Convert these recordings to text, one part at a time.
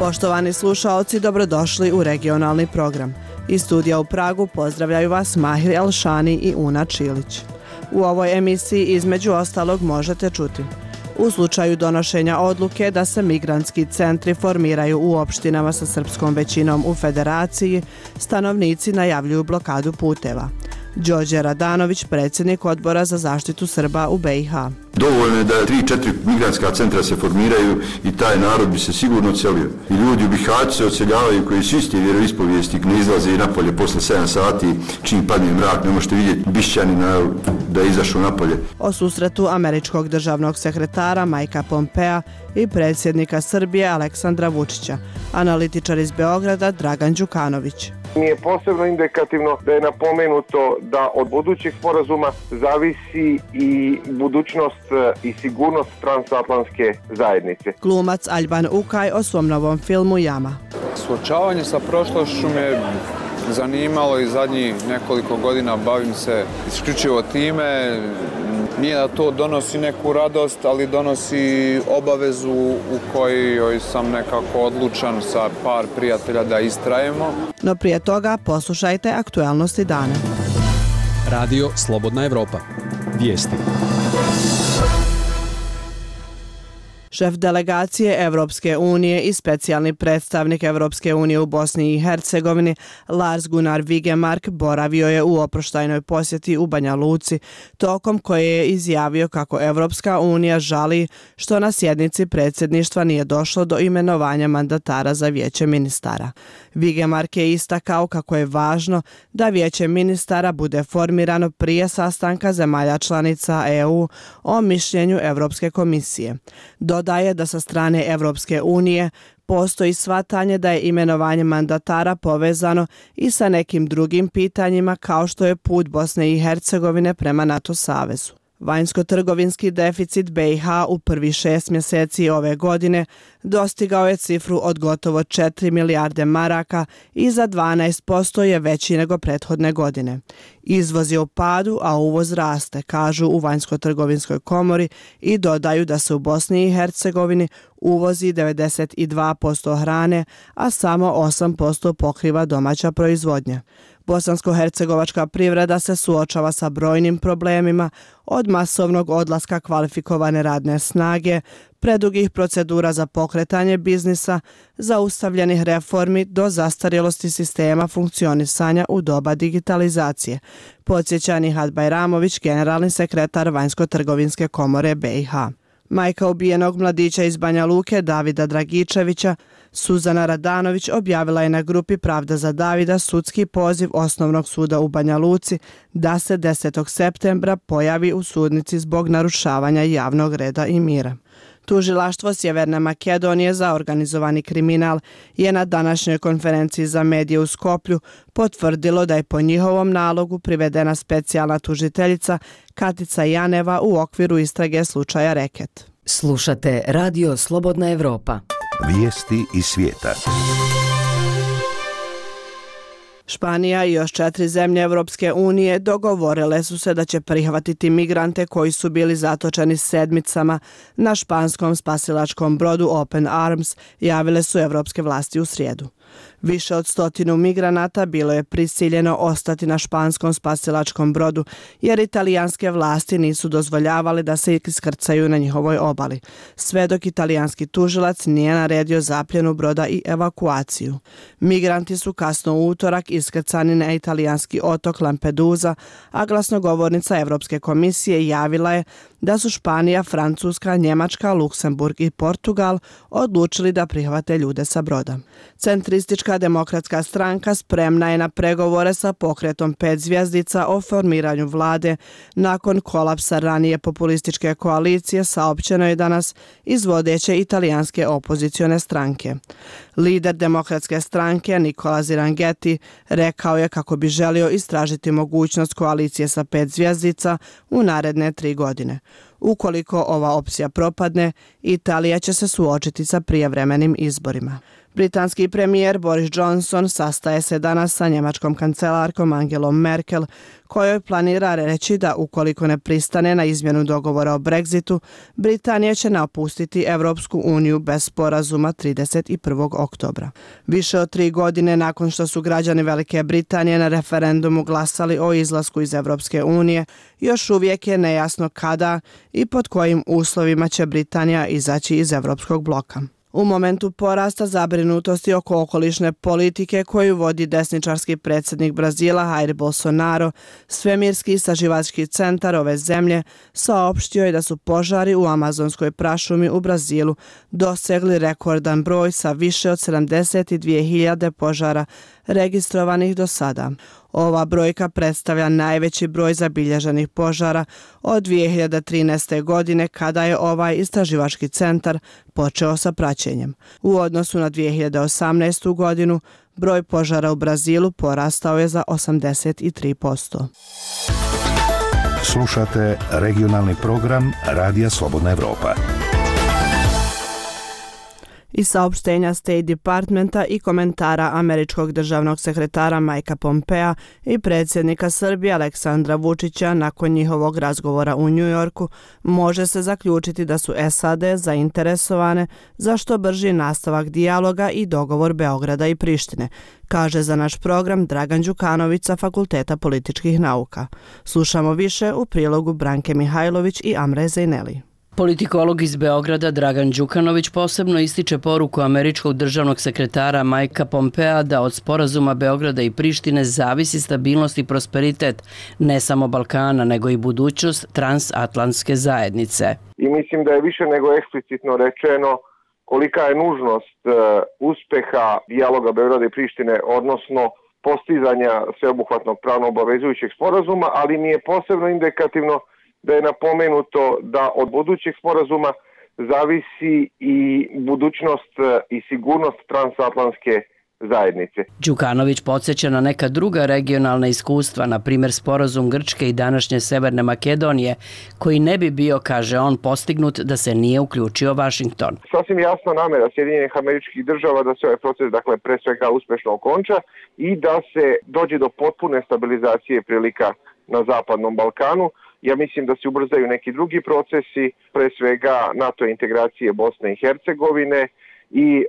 Poštovani slušaoci, dobrodošli u regionalni program. Iz studija u Pragu pozdravljaju vas Mahir Elšani i Una Čilić. U ovoj emisiji između ostalog možete čuti: u slučaju donošenja odluke da se migrantski centri formiraju u opštinama sa srpskom većinom u federaciji, stanovnici najavljuju blokadu puteva. Đorđe Radanović, predsjednik Odbora za zaštitu Srba u BiH. Dovoljno je da 3-4 migrantska centra se formiraju i taj narod bi se sigurno odselio. I ljudi u Bihaću se odseljavaju koji su isti vjeroispovijesti, ne izlaze i napolje posle 7 sati, čim padne mrak, ne možete vidjeti Bišćanina da je izašao napolje. O susretu američkog državnog sekretara Majka Pompea i predsjednika Srbije Aleksandra Vučića, analitičar iz Beograda Dragan Đukanović. Mi je posebno indikativno da je napomenuto da od budućih sporazuma zavisi i budućnost i sigurnost transatlantske zajednice. Glumac Alban Ukaj o svom novom filmu Jama. Suočavanje sa prošlošću me zanimalo i zadnjih nekoliko godina bavim se isključivo time. Nije da to donosi neku radost, ali donosi obavezu u kojoj sam nekako odlučan sa par prijatelja da istrajemo. No prije toga poslušajte aktualnosti dana. Radio Slobodna Evropa. Vijesti. Šef delegacije Evropske unije i specijalni predstavnik Evropske unije u Bosni i Hercegovini Lars Gunnar Vigemark boravio je u oproštajnoj posjeti u Banja Luci, tokom koje je izjavio kako Evropska unija žali što na sjednici predsjedništva nije došlo do imenovanja mandatara za vijeće ministara. Vigemark je istakao kako je važno da vijeće ministara bude formirano prije sastanka zemalja članica EU o mišljenju Evropske komisije. Dodaje da sa strane Evropske unije postoji shvatanje da je imenovanje mandatara povezano i sa nekim drugim pitanjima kao što je put Bosne i Hercegovine prema NATO savezu. Vanjsko-trgovinski deficit BiH u prvih 6 mjeseci ove godine dostigao je cifru od gotovo 4 milijarde maraka i za 12% je veći nego prethodne godine. Izvoz je u padu, a uvoz raste, kažu u Vanjsko-trgovinskoj komori i dodaju da se u Bosni i Hercegovini uvozi 92% hrane, a samo 8% pokriva domaća proizvodnja. Bosansko-hercegovačka privreda se suočava sa brojnim problemima, od masovnog odlaska kvalifikovane radne snage, predugih procedura za pokretanje biznisa, zaustavljenih reformi do zastarjelosti sistema funkcionisanja u doba digitalizacije, podsjeća Nihat Bajramović, generalni sekretar Vanjsko-trgovinske komore BiH. Majka ubijenog mladića iz Banja Luke, Davida Dragičevića, Suzana Radanović, objavila je na grupi Pravda za Davida sudski poziv Osnovnog suda u Banja Luci da se 10. septembra pojavi u sudnici zbog narušavanja javnog reda i mira. Tužilaštvo Sjeverne Makedonije za organizovani kriminal je na današnjoj konferenciji za medije u Skoplju potvrdilo da je po njihovom nalogu privedena specijalna tužiteljica Katica Janeva u okviru istrage slučaja Reket. Slušate Radio Slobodna Evropa. Vijesti iz svijeta. Španija i još 4 zemlje Evropske unije dogovorile su se da će prihvatiti migrante koji su bili zatočeni sedmicama na španskom spasilačkom brodu Open Arms, javile su evropske vlasti u srijedu. Više od 100 migranata bilo je prisiljeno ostati na španskom spasilačkom brodu jer italijanske vlasti nisu dozvoljavali da se iskrcaju na njihovoj obali, sve dok italijanski tužilac nije naredio zapljenu broda i evakuaciju. Migranti su kasno u utorak iskrcani na italijanski otok Lampedusa, a glasnogovornica Evropske komisije javila je da su Španija, Francuska, Njemačka, Luksemburg i Portugal odlučili da prihvate ljude sa broda. Centristička demokratska stranka spremna je na pregovore sa pokretom 5 zvjezdica o formiranju vlade nakon kolapsa ranije populističke koalicije, saopćeno je danas iz vodeće italijanske opozicione stranke. Lider demokratske stranke Nicola Ziranghetti rekao je kako bi želio istražiti mogućnost koalicije sa 5 zvjezdica u naredne 3 godine. Ukoliko ova opcija propadne, Italija će se suočiti sa prijevremenim izborima. Britanski premijer Boris Johnson sastaje se danas sa njemačkom kancelarkom Angelom Merkel, kojoj planira reći da ukoliko ne pristane na izmjenu dogovora o Brexitu, Britanija će napustiti Evropsku uniju bez sporazuma 31. oktobra. Više od 3 godine nakon što su građani Velike Britanije na referendumu glasali o izlasku iz Evropske unije, još uvijek je nejasno kada i pod kojim uslovima će Britanija izaći iz Evropskog bloka. U momentu porasta zabrinutosti oko okolišne politike koju vodi desničarski predsjednik Brazila Jair Bolsonaro, Svemirski istraživački centar ove zemlje saopštio je da su požari u amazonskoj prašumi u Brazilu dosegli rekordan broj sa više od 72.000 požara registrovanih do sada. Ova brojka predstavlja najveći broj zabilježenih požara od 2013. godine kada je ovaj istraživački centar počeo sa praćenjem. U odnosu na 2018. godinu broj požara u Brazilu porastao je za 83%. Slušate regionalni program Radija Slobodna Evropa. I saopštenja State Departmenta i komentara američkog državnog sekretara Mikea Pompea i predsjednika Srbije Aleksandra Vučića nakon njihovog razgovora u New Yorku može se zaključiti da su SAD zainteresovane za što brži nastavak dijaloga i dogovor Beograda i Prištine, kaže za naš program Dragan Đukanović sa Fakulteta političkih nauka. Slušamo više u prilogu Branke Mihajlović i Amre Zejneli. Politikolog iz Beograda Dragan Đukanović posebno ističe poruku američkog državnog sekretara Mikea Pompea da od sporazuma Beograda i Prištine zavisi stabilnost i prosperitet ne samo Balkana, nego i budućnost transatlantske zajednice. I mislim da je više nego eksplicitno rečeno kolika je nužnost uspeha dijaloga Beograda i Prištine, odnosno postizanja sveobuhvatnog pravno obavezujućeg sporazuma, ali mi je posebno indikativno da je napomenuto da od budućeg sporazuma zavisi i budućnost i sigurnost transatlantske zajednice. Đukanović podsjeća na neka druga regionalna iskustva, na primjer sporazum Grčke i današnje Severne Makedonije, koji ne bi bio, kaže on, postignut da se nije uključio Vašington. Sasvim jasna namjera Sjedinjenih Američkih Država da se ovaj proces, dakle, pre svega uspešno okonča i da se dođe do potpune stabilizacije prilika na Zapadnom Balkanu. Ja mislim da se ubrzaju neki drugi procesi, pre svega NATO integracije Bosne i Hercegovine i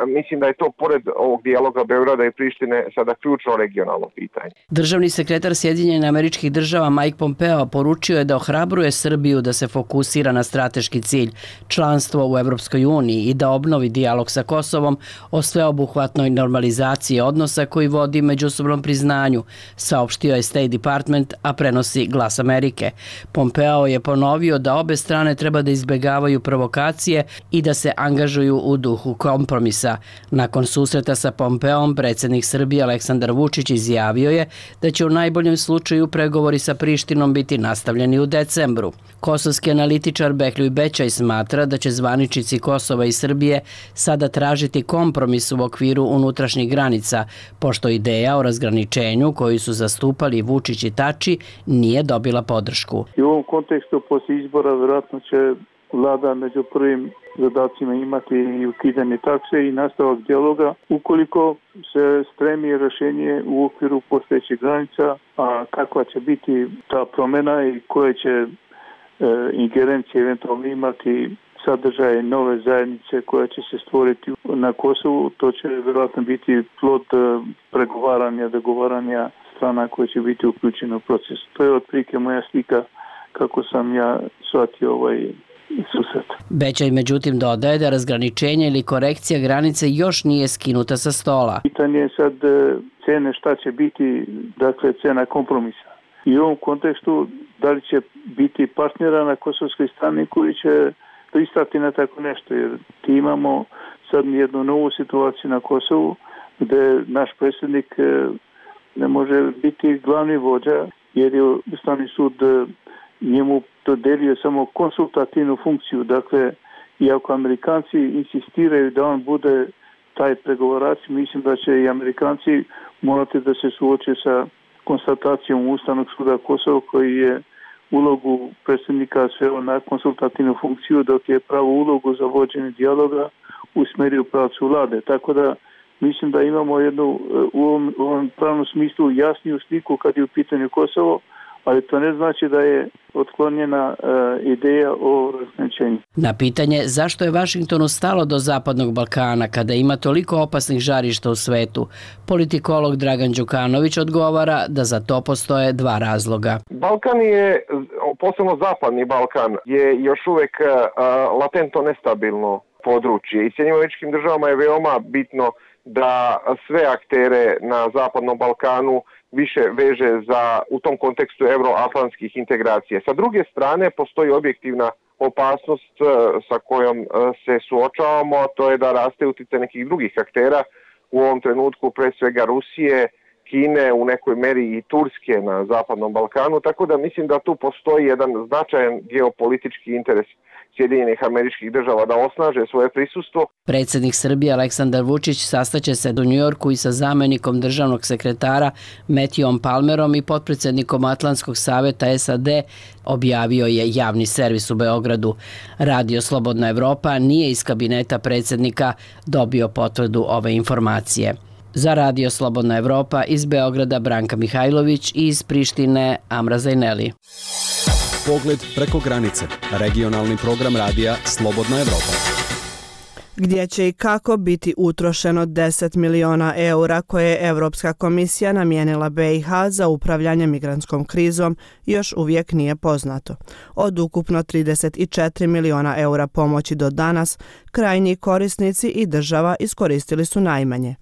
mislim da je to pored ovog dijaloga Beograda i Prištine sada ključno regionalno pitanje. Državni sekretar Sjedinjenih Američkih Država Mike Pompeo poručio je da ohrabruje Srbiju da se fokusira na strateški cilj, članstvo u Evropskoj uniji i da obnovi dijalog sa Kosovom o sveobuhvatnoj normalizaciji odnosa koji vodi međusobnom priznanju, saopštio je State Department, a prenosi Glas Amerike. Pompeo je ponovio da obe strane treba da izbegavaju provokacije i da se angažuju u duhu kompromisa. Nakon susreta sa Pompeom, predsjednik Srbije Aleksandar Vučić izjavio je da će u najboljem slučaju pregovori sa Prištinom biti nastavljeni u decembru. Kosovski analitičar Behljuj Bećaj smatra da će zvaničnici Kosova i Srbije sada tražiti kompromis u okviru unutrašnjih granica, pošto ideja o razgraničenju koju su zastupali Vučić i Tači nije dobila podršku. I u ovom kontekstu poslije izbora vjerojatno će vlada među prvim zadacima imati i ukidanje takse i nastavak dijaloga. Ukoliko se stremi rješenje u okviru postojećih granica, a kakva će biti ta promjena i koje će ingerencije eventualno imati sadržaje nove zajednice koja će se stvoriti na Kosovu, to će vjerojatno biti plod pregovaranja, dogovaranja strana koje će biti uključene u proces. To je otprilike moja slika kako sam ja shvatio ovaj susret. Bećaj međutim dodaje da razgraničenje ili korekcija granice još nije skinuta sa stola. Pitanje je sad cene šta će biti, dakle cena kompromisa. I u ovom kontekstu da li će biti partnera na kosovskoj strani koji će pristati na tako nešto, jer ti imamo sad jednu novu situaciju na Kosovu gdje naš predsjednik ne može biti glavni vođa jer je Ustavni sud njemu dodelio samo konsultativnu funkciju. Dakle, iako Amerikanci insistiraju da on bude taj pregovarač, mislim da će i Amerikanci morati da se suoče sa konstatacijom Ustavnog suda Kosova koji je ulogu predsjednika sveo na konsultativnu funkciju, dok je pravu ulogu za vođenje dijaloga usmjerio u pravcu vlade. Tako da mislim da imamo jednu u ovom pravnom smislu jasniju sliku kad je u pitanju Kosovo, ali to ne znači da je otklonjena ideja o razgraničenju. Na pitanje zašto je Vašingtonu stalo do Zapadnog Balkana kada ima toliko opasnih žarišta u svetu, politikolog Dragan Đukanović odgovara da za to postoje dva razloga. Balkan je, posebno Zapadni Balkan, je još uvek latentno nestabilno područje i Sjedinjenim Američkim Državama je veoma bitno da sve aktere na Zapadnom Balkanu više veže u tom kontekstu euroatlantskih integracija. Sa druge strane, postoji objektivna opasnost sa kojom se suočavamo, a to je da raste uticaj nekih drugih aktera, u ovom trenutku pre svega Rusije, Kine, u nekoj meri i Turske na Zapadnom Balkanu, tako da mislim da tu postoji jedan značajan geopolitički interes Sjedinjenih Američkih Država da osnaže svoje prisustvo. Predsjednik Srbije Aleksandar Vučić sastaće se u Njujorku i sa zamenikom državnog sekretara Matthewom Palmerom i potpredsjednikom Atlantskog savjeta SAD, objavio je javni servis u Beogradu. Radio Slobodna Evropa nije iz kabineta predsjednika dobio potvrdu ove informacije. Za Radio Slobodna Evropa iz Beograda Branka Mihajlović i iz Prištine Amra Zajneli. Pogled preko granice. Regionalni program radija Slobodna Evropa. Gdje će i kako biti utrošeno 10 miliona eura koje je Evropska komisija namijenila BiH za upravljanje migrantskom krizom još uvijek nije poznato. Od ukupno 34 miliona eura pomoći do danas, krajnji korisnici i država iskoristili su najmanje.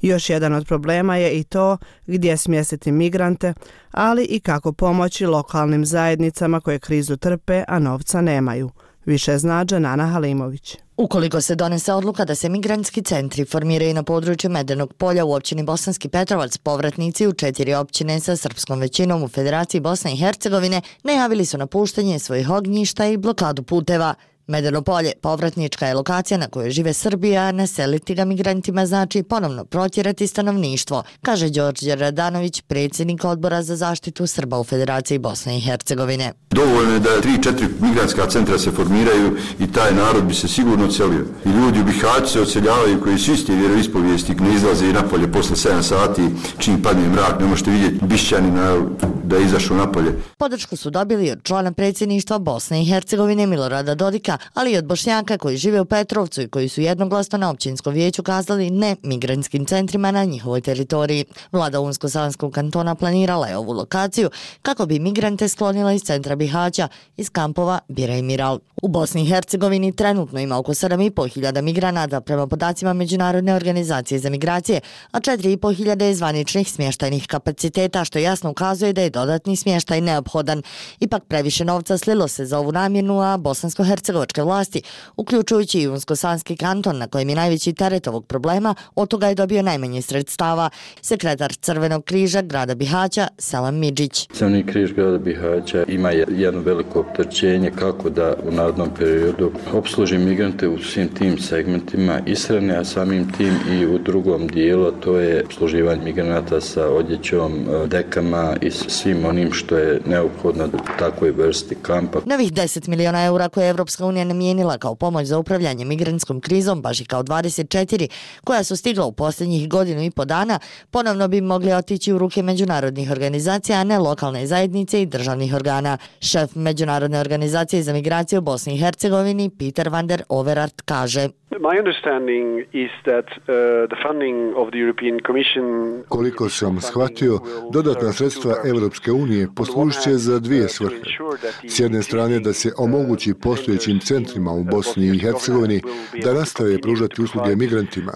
Još jedan od problema je i to gdje smjestiti migrante, ali i kako pomoći lokalnim zajednicama koje krizu trpe, a novca nemaju. Više zna Dženana Halimović. Ukoliko se donese odluka da se migrantski centri formiraju na području Medenog polja u općini Bosanski Petrovac, povratnici u 4 općine sa srpskom većinom u Federaciji Bosne i Hercegovine najavili su napuštanje svojih ognjišta i blokadu puteva. Medeno polje, povratnička je lokacija na kojoj žive Srbija, naseliti ga migrantima znači ponovno protjerati stanovništvo, kaže Đorđe Radanović, predsjednik odbora za zaštitu Srba u Federaciji Bosne i Hercegovine. Dovoljno je da 3-4 migrantska centra se formiraju i taj narod bi se sigurno odselio. I ljudi u Bihaću se odseljavaju koji su iste vjeroispovijesti, ne izlaze i napolje posle 7 sati, čim padne mrak, ne možete vidjeti Bišćanina da je izašao napolje. Podršku su dobili od člana predsjedništva Bosne i Hercegovine Milorada Dodika, ali i od Bošnjaka koji žive u Petrovcu i koji su jednoglasno na općinskom vijeću kazali ne migrantskim centrima na njihovoj teritoriji. Vlada Unsko-Sanskog kantona planirala je ovu lokaciju kako bi migrante sklonila iz centra Bihaća, iz kampova Bira i Miral. U Bosni i Hercegovini trenutno ima oko 7.500 migranata prema podacima Međunarodne organizacije za migracije, a 4.500 je zvaničnih smještajnih kapaciteta, što jasno ukazuje da je dodatni smještaj neophodan. Ipak previše novca slilo se za ovu namjenu, a bosansko-hercegovačke vlasti, uključujući i Unsko-Sanski kanton na kojem je najveći teret ovog problema, od toga je dobio najmanje sredstava. Sekretar Crvenog križa grada Bihaća, Selam Midžić. Crveni križ grada Bihaća ima jedno veliko opterećenje kako da u narednom periodu opsluži migrante u svim tim segmentima ishrane, a samim tim i u drugom dijelu, to je opsluživanje migranata sa odjećom, dekama i svim onim što je neophodno takvoj vrsti kampa. Novih 10 miliona eura koje je Evropska unija namijenila kao pomoć za upravljanje migrantskom krizom, baš i kao 24 koja su stigla u posljednjih 1.5 dana, ponovno bi mogli otići u ruke međunarodnih organizacija, a ne lokalne zajednice i državnih organa. Šef Međunarodne organizacije za migraciju u Bosni i Hercegovini, Peter van der Overaert, kaže: Koliko sam shvatio, dodatna sredstva Evropske unije poslužit će za dvije svrhe. S jedne strane da se omogući postojećim centrima u Bosni i Hercegovini da nastave pružati usluge migrantima,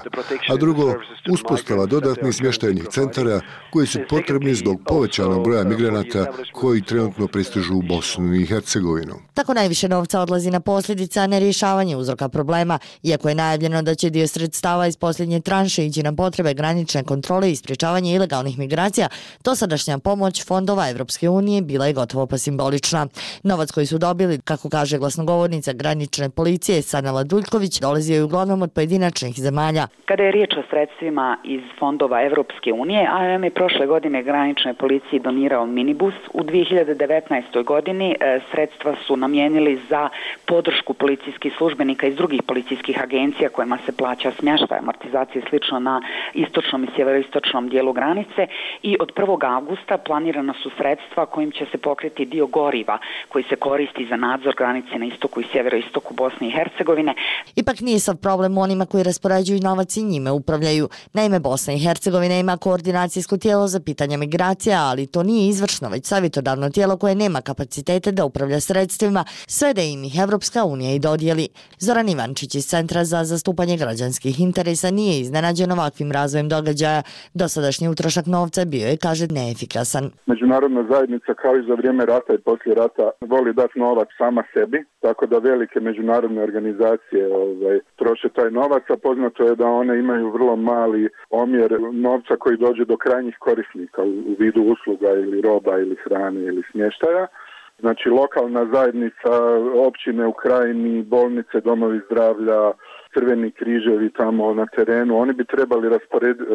a drugo, uspostava dodatnih smještajnih centara koji su potrebni zbog povećanog broja migranata koji trenutno pristižu u Bosnu i Hercegovinu. Tako najviše novca odlazi na posljedice, a ne rješavanje uzroka problema, iako je najavljeno da će dio sredstava iz posljednje tranše ići na potrebe granične kontrole i sprječavanje ilegalnih migracija, dosadašnja pomoć fondova Evropske unije bila je gotovo pa simbolična. Novac koji su dobili, kako kaže glasnogovornica granične policije Sanela Duljković, dolazio je uglavnom od pojedinačnih zemalja. Kada je riječ o sredstvima iz fondova Evropske unije, AMM je prošle godine graničnoj policiji donirao minibus. U 2019. godini sredstva su namijenili za podršku policijskih službenika iz drugih policijskih agencija agencija kojima se plaća smještaj, amortizacija i slično na istočnom i sjeveroistočnom dijelu granice i od 1. augusta planirana su sredstva kojim će se pokriti dio goriva koji se koristi za nadzor granice na istoku i sjeveroistoku Bosne i Hercegovine. Ipak nije sav problem onima koji raspoređuju novac i njime upravljaju. Naime, Bosna i Hercegovina ima koordinacijsko tijelo za pitanja migracija, ali to nije izvršno, već savjetodavno tijelo koje nema kapacitete da upravlja sredstvima, sve da im ih Evropska unija i dodijeli. Zoran Ivančić iz Centra za zastupanje građanskih interesa nije iznenađen ovakvim razvojem događaja. Dosadašnji utrošak novca bio je, kaže, neefikasan. Međunarodna zajednica kao i za vrijeme rata i poslije rata voli dati novac sama sebi, tako da velike međunarodne organizacije troše taj novac, a poznato je da one imaju vrlo mali omjer novca koji dođe do krajnjih korisnika u vidu usluga ili roba ili hrane ili smještaja. Znači lokalna zajednica, općine u krajini, bolnice, domovi zdravlja, crveni križevi tamo na terenu, oni bi trebali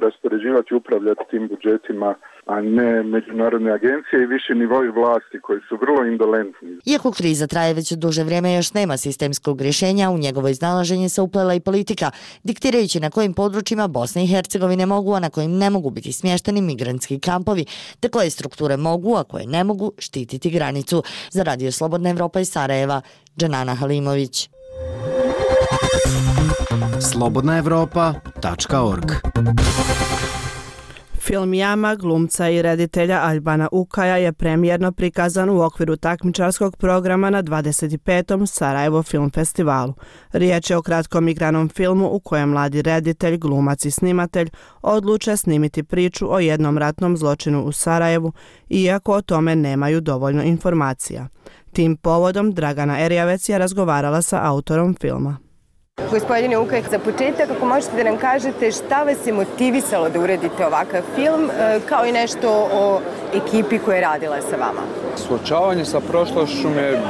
raspoređivati i upravljati tim budžetima, a ne međunarodne agencije i viši nivoi vlasti koji su vrlo indolentni. Iako kriza traje već duže vrijeme, još nema sistemskog rješenja, u njegovo iznalaženje se uplela i politika, diktirajući na kojim područjima Bosne i Hercegovine mogu, a na kojim ne mogu biti smješteni migrantski kampovi, te koje strukture mogu, a koje ne mogu štititi granicu. Za Radio Slobodna Evropa iz Sarajeva, Džanana Halimović. slobodnaevropa.org. Film Jama glumca i reditelja Albana Ukaja je premijerno prikazan u okviru takmičarskog programa na 25. Sarajevo Film Festivalu. Riječ je o kratkom igranom filmu u kojem mladi reditelj, glumac i snimatelj odluče snimiti priču o jednom ratnom zločinu u Sarajevu, iako o tome nemaju dovoljno informacija. Tim povodom Dragana Erjavec je razgovarala sa autorom filma. Gospodine Ukaj, za početak, ako možete da nam kažete šta vas je motivisalo da uradite ovakav film, kao i nešto o ekipi koja je radila sa vama? Suočavanje sa prošlošću me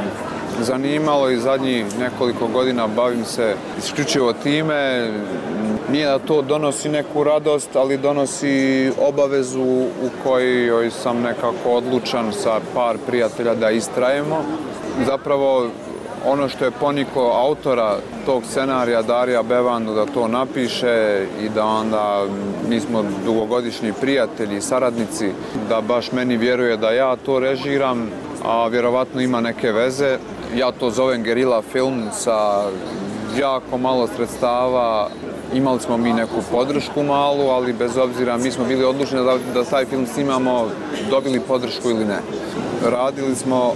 zanimalo i zadnjih nekoliko godina bavim se isključivo time. Nije da to donosi neku radost, ali donosi obavezu u kojoj sam nekako odlučan sa par prijatelja da istrajemo. Zapravo, ono što je poniko autora tog scenarija, Darija Bevandu, da to napiše i da onda mi smo dugogodišnji prijatelji i saradnici, da baš meni vjeruje da ja to režiram, a vjerovatno ima neke veze. Ja to zovem gerila film sa jako malo sredstava. Imali smo mi neku podršku malu, ali bez obzira mi smo bili odlučeni da taj film snimamo, dobili podršku ili ne. Radili smo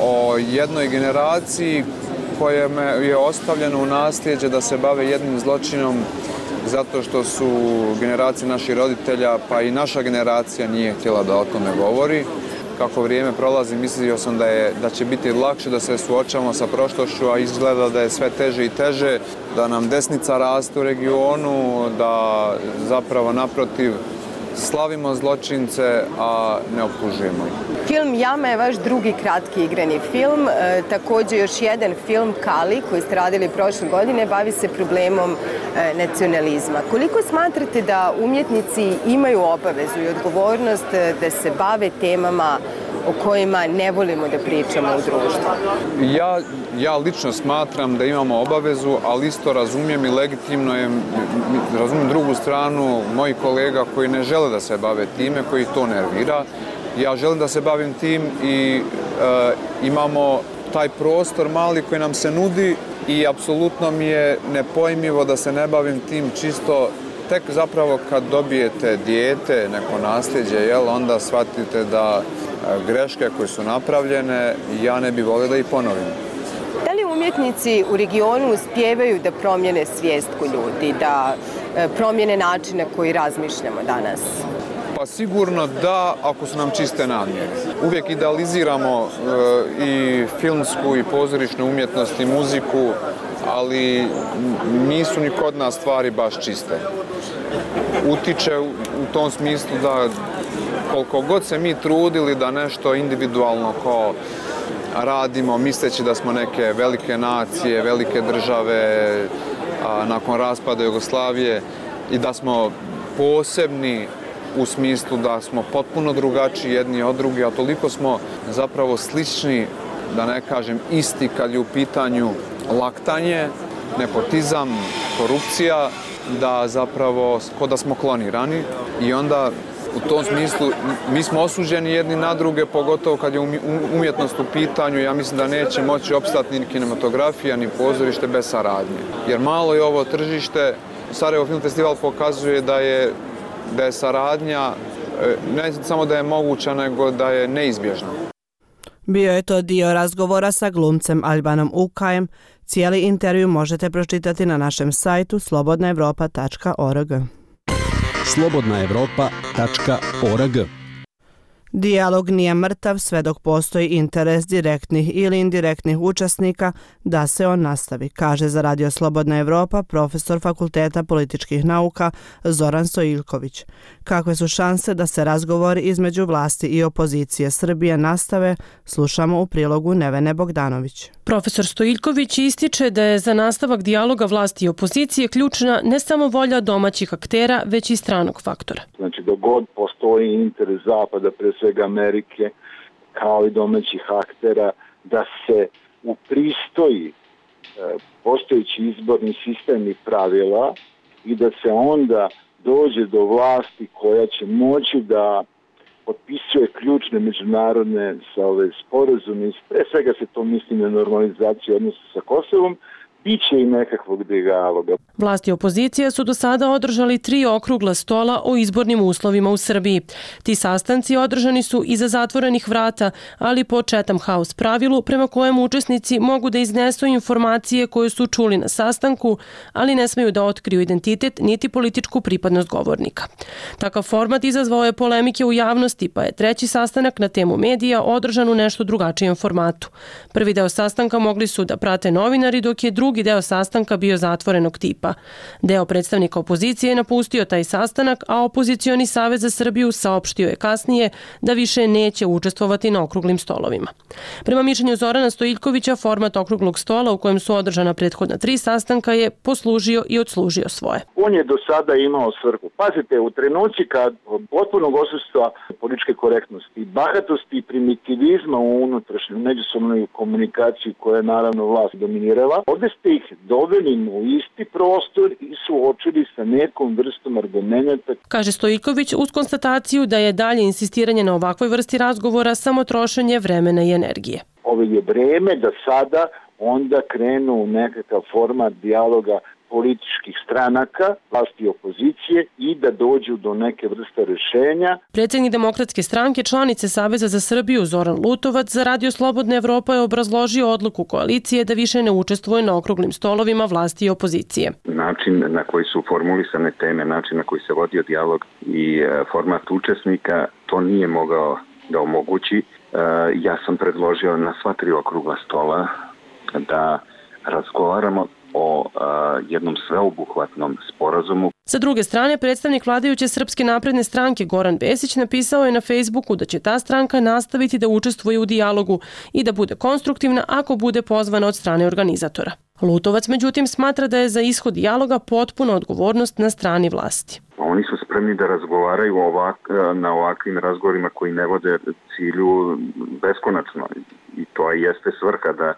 o jednoj generaciji koja je ostavljena u nasljeđe da se bave jednim zločinom zato što su generacije naših roditelja, pa i naša generacija nije htjela da o tome govori. Kako vrijeme prolazi, mislio sam da će biti lakše da se suočavamo sa prošlošću, a izgleda da je sve teže i teže, da nam desnica raste u regionu, da zapravo naprotiv slavimo zločince, a ne optužujemo ih. Film Jama je vaš drugi kratki igrani film, također još jedan film Kali koji ste radili prošle godine bavi se problemom nacionalizma. Koliko smatrate da umjetnici imaju obavezu i odgovornost da se bave temama o kojima ne volimo da pričamo u društvu? Ja lično smatram da imamo obavezu, ali isto razumijem i legitimno je, razumijem drugu stranu mojih kolega koji ne žele da se bave time, koji to nervira. Ja želim da se bavim tim i imamo taj prostor mali koji nam se nudi i apsolutno mi je nepojmljivo da se ne bavim tim čisto tek zapravo kad dobijete dijete, neko nasljeđe, onda shvatite da greške koje su napravljene ja ne bih volio da ih ponovim. Da li umjetnici u regionu uspijevaju da promijene svijest kod ljudi, da promijene način na koji razmišljamo danas? Pa sigurno da, ako su nam čiste namjere. Uvijek idealiziramo i filmsku i pozorišnu umjetnost i muziku, ali nisu ni kod nas stvari baš čiste. Utiče u tom smislu da koliko god se mi trudili da nešto individualno kao radimo, misleći da smo neke velike nacije, velike države nakon raspada Jugoslavije i da smo posebni u smislu da smo potpuno drugačiji jedni od drugih, a toliko smo zapravo slični, da ne kažem isti kad je u pitanju laktanje, nepotizam, korupcija, da zapravo ko da smo klonirani i onda u tom smislu mi smo osuđeni jedni na druge, pogotovo kad je umjetnost u pitanju. Ja mislim da neće moći opstati ni kinematografija, ni pozorište bez saradnje. Jer malo je ovo tržište. Sarajevo Film Festival pokazuje da je saradnja ne samo da je moguća, nego da je neizbježna. Bio je to dio razgovora sa glumcem Albanom Ukajem. Cijeli intervju možete pročitati na našem sajtu slobodnaevropa.org. slobodnaevropa.org. Dijalog nije mrtav sve dok postoji interes direktnih ili indirektnih učesnika da se on nastavi, kaže za Radio Slobodna Evropa profesor Fakulteta političkih nauka Zoran Stojiljković. Kakve su šanse da se razgovori između vlasti i opozicije Srbije nastave, slušamo u prilogu Nevene Bogdanović. Profesor Stojiljković ističe da je za nastavak dijaloga vlasti i opozicije ključna ne samo volja domaćih aktera, već i stranog faktora. Znači, dok god postoji interes Zapada, pre svega Amerike, kao i domaćih aktera, da se upristoji postojeći izborni sistem i pravila i da se onda dođe do vlasti koja će moći da potpisuje ključne međunarodne sporazume. Pre svega se to misli na normalizaciju odnosa sa Kosovom, biće i nekakvog dijaloga. Vlasti i opozicija su do sada održali 3 okrugla stola o izbornim uslovima u Srbiji. Ti sastanci održani su iza zatvorenih vrata, ali po Chatham House pravilu prema kojem učesnici mogu da iznesu informacije koje su čuli na sastanku, ali ne smeju da otkriju identitet niti političku pripadnost govornika. Takav format izazvao je polemike u javnosti, pa je 3. sastanak na temu medija održan u nešto drugačijem formatu. Prvi deo sastanka mogli su da prate novinari, dok je drugi deo sastanka bio zatvorenog tipa. Deo predstavnika opozicije je napustio taj sastanak, a Opozicioni savez za Srbiju saopštio je kasnije da više neće učestvovati na okruglim stolovima. Prema mišljenju Zorana Stojiljkovića, format okruglog stola u kojem su održana prethodna 3 sastanka je poslužio i odslužio svoje. On je do sada imao svrhu. Pazite, u trenuci kad potpunog odsustva političke korektnosti, bahatosti i primitivizma u unutrašnjoj međusobnoj komunikaciji koja je naravno vlast dominirala, ovdje ste ih doveli u isti prostor i suočili sa nekom vrstom argumenta. Kaže Stojiljković uz konstataciju da je dalje insistiranje na ovakvoj vrsti razgovora samo trošenje vremena i energije. Ovo je vreme da sada onda krenu u nekakav format dijaloga političkih stranaka, vlasti i opozicije i da dođu do neke vrste rješenja. Predsjednik Demokratske stranke, članice Saveza za Srbiju Zoran Lutovac za Radio Slobodna Evropa je obrazložio odluku koalicije da više ne učestvuje na okruglim stolovima vlasti i opozicije. Način na koji su formulisane teme, način na koji se vodio dijalog i format učesnika, to nije mogao da omogući. Ja sam predložio na sva 3 okrugla stola da razgovaramo o jednom sveobuhvatnom sporazumu. Sa druge strane, predstavnik vladajuće Srpske napredne stranke Goran Vesić napisao je na Facebooku da će ta stranka nastaviti da učestvuje u dijalogu i da bude konstruktivna ako bude pozvana od strane organizatora. Lutovac, međutim, smatra da je za ishod dijaloga potpuna odgovornost na strani vlasti. Oni su spremni da razgovaraju na ovakvim razgovorima koji ne vode cilju beskonačno i to jeste svrha da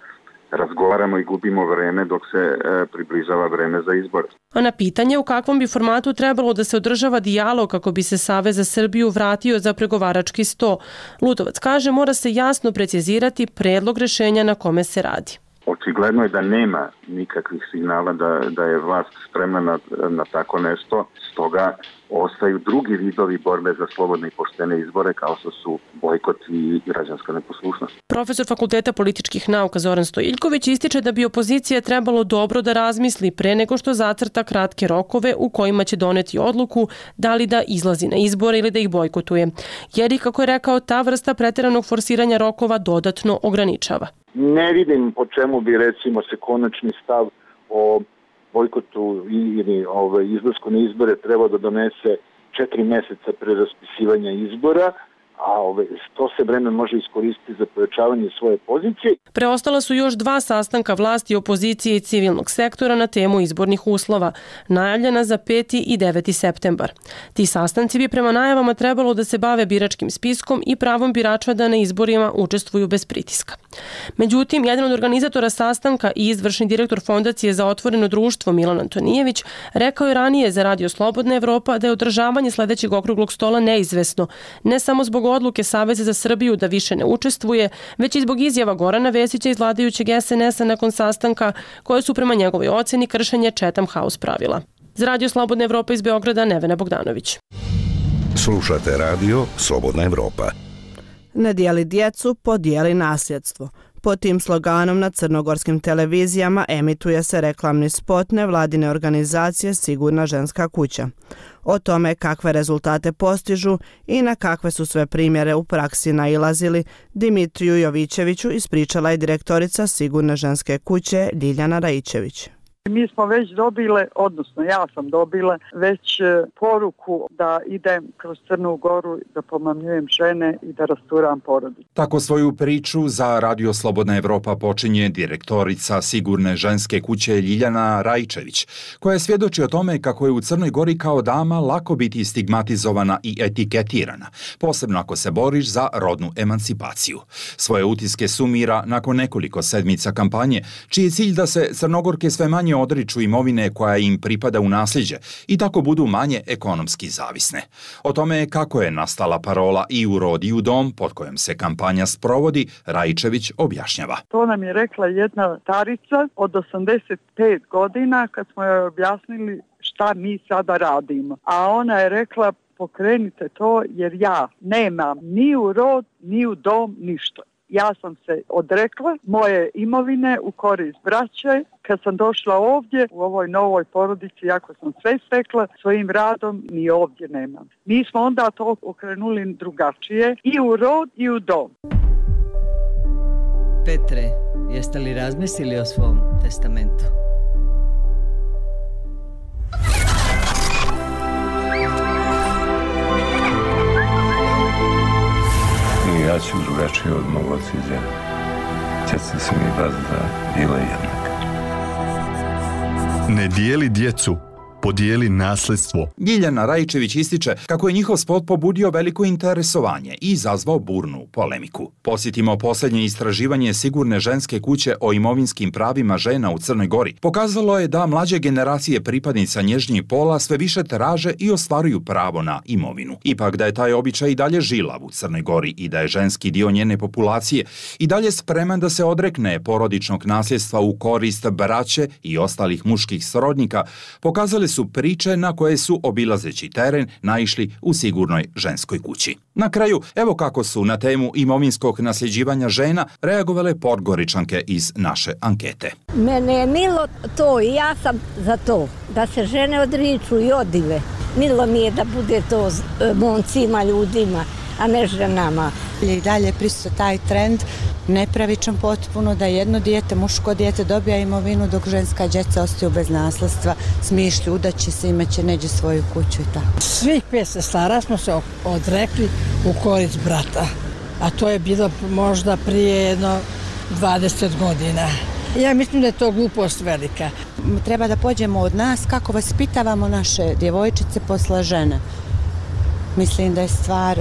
razgovaramo i gubimo vreme dok se približava vreme za izbor. A na pitanje u kakvom bi formatu trebalo da se održava dijalog kako bi se Savez za Srbiju vratio za pregovarački sto, Lutovac kaže mora se jasno precizirati predlog rješenja na kome se radi. Očigledno je da nema nikakvih signala da je vlast spremna na tako nešto, stoga ostaju drugi vidovi borbe za slobodne i poštene izbore kao što su bojkot i građanska neposlušnost. Profesor Fakulteta političkih nauka Zoran Stojiljković ističe da bi opozicija trebalo dobro da razmisli pre nego što zacrta kratke rokove u kojima će doneti odluku da li da izlazi na izbore ili da ih bojkotuje. Jer i kako je rekao, ta vrsta pretjeranog forsiranja rokova dodatno ograničava. Ne vidim po čemu bi recimo se konačni stav o bojkotu ili izlasku na izbore trebao da donese 4 mjeseca pre raspisivanja izbora, a to se vreme može iskoristiti za pojačavanje svoje pozicije. Preostala su još 2 sastanka vlasti, opozicije i civilnog sektora na temu izbornih uslova, najavljena za 5. i 9. septembar. Ti sastanci bi prema najavama trebalo da se bave biračkim spiskom i pravom birača da na izborima učestvuju bez pritiska. Međutim, jedan od organizatora sastanka i izvršni direktor Fondacije za otvoreno društvo Milan Antonijević rekao je ranije za Radio Slobodna Evropa da je održavanje sledećeg okruglog stola neizvesno, ne samo zbog odluke Saveza za Srbiju da više ne učestvuje, već i zbog izjava Gorana Vesića iz vladajućeg SNS-a nakon sastanka, koje su prema njegovoj oceni kršenje Chatham House pravila. Za Radio Slobodna Evropa iz Beograda, Nevena Bogdanović. Slušate Radio Slobodna Evropa. Ne dijeli djecu, podijeli nasljedstvo. Pod tim sloganom na crnogorskim televizijama emituje se reklamni spot nevladine organizacije Sigurna ženska kuća. O tome kakve rezultate postižu i na kakve su sve primjere u praksi nailazili, Dimitriju Jovićeviću ispričala je direktorica Sigurne ženske kuće Ljiljana Rajičević. Mi smo već dobile, odnosno ja sam dobila već poruku da idem kroz Crnu Goru, da pomamljujem žene i da rasturam porodicu. Tako svoju priču za Radio Slobodna Evropa počinje direktorica Sigurne ženske kuće Ljiljana Rajičević, koja svjedoči o tome kako je u Crnoj Gori kao dama lako biti stigmatizovana i etiketirana, posebno ako se boriš za rodnu emancipaciju. Svoje utiske sumira nakon nekoliko sedmica kampanje, čiji je cilj da se Crnogorke sve manje odriču imovine koja im pripada u nasljeđe i tako budu manje ekonomski zavisne. O tome kako je nastala parola I u rod I u dom, pod kojom se kampanja sprovodi, Rajičević objašnjava. To nam je rekla jedna starica od 85 godina kad smo joj objasnili šta mi sada radimo. A ona je rekla, pokrenite to jer ja nemam ni u rod, ni u dom, ništa. Ja sam se odrekla moje imovine u korist braće. Kad sam došla ovdje u ovoj novoj porodici, jako sam sve stekla svojim radom, ni ovdje nemam. Mi smo onda to okrenuli drugačije I u rod I u dom. Petre, jeste li razmislili o svom testamentu? Ja ću drugačije od mog oca i djeda. Djeca su mi bazda bila jednaka. Ne dijeli djecu, podijeli nasljedstvo. Ljiljana Rajičević ističe kako je njihov spot pobudio veliko interesovanje i izazvao burnu polemiku. Posjetimo posljednje istraživanje Sigurne ženske kuće o imovinskim pravima žena u Crnoj Gori. Pokazalo je da mlađe generacije pripadnica nježnjih pola sve više traže i ostvaruju pravo na imovinu. Ipak da je taj običaj i dalje žilav u Crnoj Gori i da je ženski dio njene populacije i dalje spreman da se odrekne porodičnog nasljedstva u korist braće i ostalih muških srodnika, pokazali su priče na koje su, obilazeći teren, naišli u Sigurnoj ženskoj kući. Na kraju, evo kako su na temu imovinskog nasljeđivanja žena reagovale Podgoričanke iz naše ankete. Mene je milo to i ja sam za to, da se žene odriču i odive. Milo mi je da bude to momcima, ljudima, a ne ženama. I dalje prisutan taj trend, nepravičan potpuno, da jedno dijete, muško dijete dobija imovinu dok ženska djeca ostaju bez nasledstva, smišlju, udaće se, imaće neđe svoju kuću i tako. Svih 5 sestara smo se odrekli u korist brata, a to je bilo možda prije jedno 20 godina. Ja mislim da je to glupost velika. Treba da pođemo od nas kako vaspitavamo naše djevojčice posle žene. Mislim da je stvar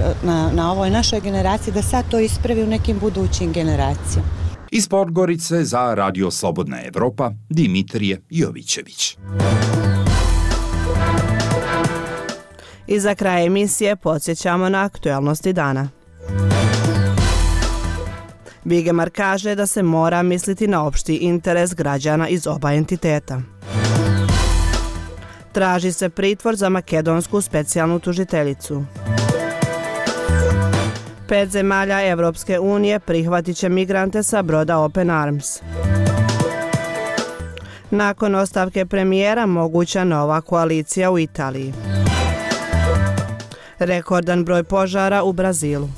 na ovoj našoj generaciji da sad to ispravi u nekim budućim generacijama. Iz Podgorice za Radio Slobodna Evropa, Dimitrije Jovićević. I za kraj emisije podsjećamo na aktualnosti dana. Vigemar kaže da se mora misliti na opšti interes građana iz oba entiteta. Traži se pritvor za makedonsku specijalnu tužiteljicu. 5 zemalja Evropske unije prihvatit će migrante sa broda Open Arms. Nakon ostavke premijera moguća nova koalicija u Italiji. Rekordan broj požara u Brazilu.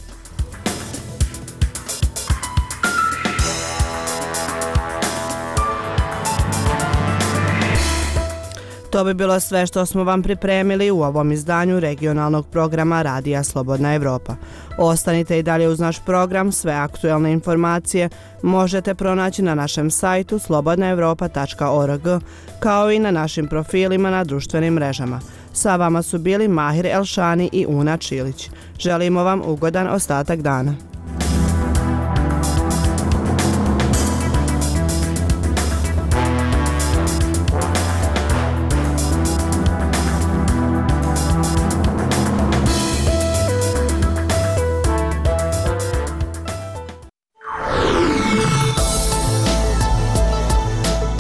To bi bilo sve što smo vam pripremili u ovom izdanju regionalnog programa Radija Slobodna Evropa. Ostanite i dalje uz naš program, sve aktuelne informacije možete pronaći na našem sajtu slobodnaevropa.org, kao i na našim profilima na društvenim mrežama. Sa vama su bili Mahir Elšani i Una Čilić. Želimo vam ugodan ostatak dana.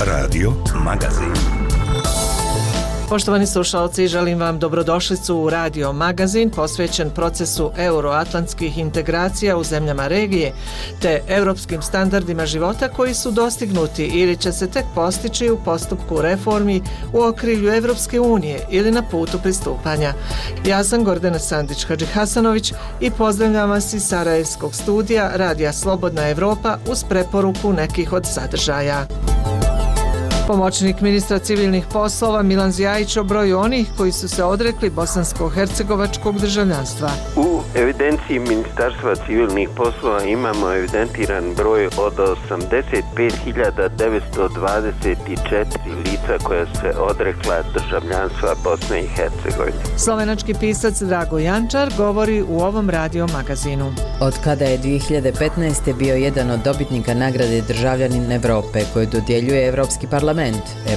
Radio Magazin. Poštovani slušalci, želim vam dobrodošlicu u Radio Magazin posvećen procesu euroatlantskih integracija u zemljama regije te europskim standardima života koji su dostignuti ili će se tek postići u postupku reformi u okrilju Evropske unije ili na putu pristupanja. Ja sam Gordana Sandić-Hadžihasanović i pozdravljam vas iz Sarajevskog studija Radija Slobodna Evropa uz preporuku nekih od sadržaja. Pomoćnik ministra civilnih poslova Milan Zjajić o broju onih koji su se odrekli bosansko-hercegovačkog državljanstva. U evidenciji Ministarstva civilnih poslova imamo evidentiran broj od 85.924 lica koja se odrekla državljanstva Bosne i Hercegovine. Slovenački pisac Drago Jančar govori u ovom radio magazinu. Od kada je 2015. bio jedan od dobitnika nagrade Državljanin Evrope koju dodjeljuje Evropski parlament,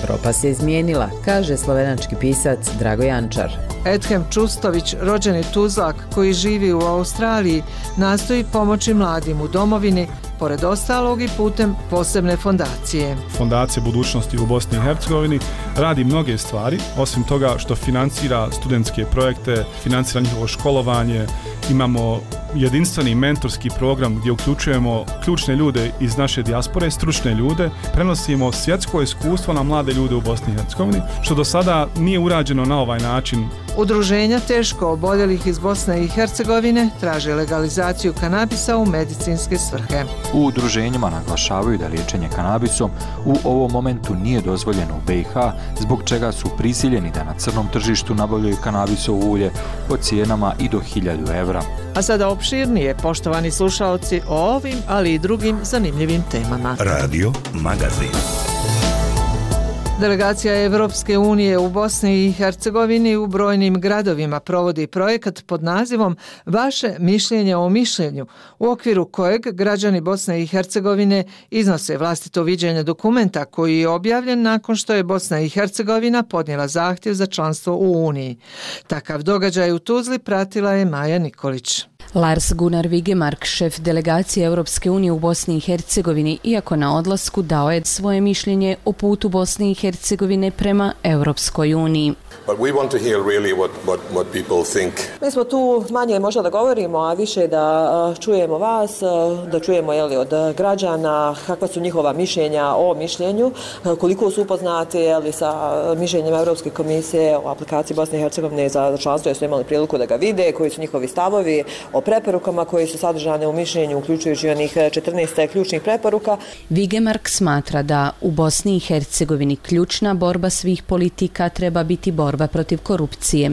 Evropa se izmijenila, kaže slovenački pisac Drago Jančar. Edhem Čustović, rođeni Tuzlak koji živi u Australiji, nastoji pomoći mladim u domovini, pored ostalog i putem posebne fondacije. Fondacija budućnosti u Bosni i Hercegovini radi mnoge stvari, osim toga što financira studentske projekte, financira njihovo školovanje, imamo jedinstveni mentorski program gdje uključujemo ključne ljude iz naše dijaspore, stručne ljude, prenosimo svjetsko iskustvo na mlade ljude u Bosni i Hercegovini, što do sada nije urađeno na ovaj način. Udruženja teško oboljelih iz Bosne i Hercegovine traže legalizaciju kanabisa u medicinske svrhe. U udruženjima naglašavaju da liječenje kanabisom u ovom momentu nije dozvoljeno u BiH, zbog čega su prisiljeni da na crnom tržištu nabavljaju kanabisovo ulje po cijenama i do 1000 evra. A sada opširnije, poštovani slušaoci, o ovim, ali i drugim zanimljivim temama. Radio Magazin. Delegacija Evropske unije u Bosni i Hercegovini u brojnim gradovima provodi projekat pod nazivom Vaše mišljenje o mišljenju, u okviru kojeg građani Bosne i Hercegovine iznose vlastito viđenje dokumenta koji je objavljen nakon što je Bosna i Hercegovina podnijela zahtjev za članstvo u Uniji. Takav događaj u Tuzli pratila je Maja Nikolić. Lars Gunnar Vigemark, šef delegacije Europske unije u Bosni i Hercegovini, iako na odlasku dao je svoje mišljenje o putu Bosne i Hercegovine prema Europskoj uniji. Mi smo tu manje možda da govorimo, a više da čujemo vas, da čujemo od građana kakva su njihova mišljenja o mišljenju, koliko su upoznati sa mišljenjem Europske komisije o aplikaciji Bosne i Hercegovine za članstvo, jer su imali priliku da ga vide, koji su njihovi stavovi o preporukama koji su sadržane u mišljenju, uključujući onih 14 ključnih preporuka. Vigemark smatra da u Bosni i Hercegovini ključna borba svih politika treba biti borba protiv korupcije.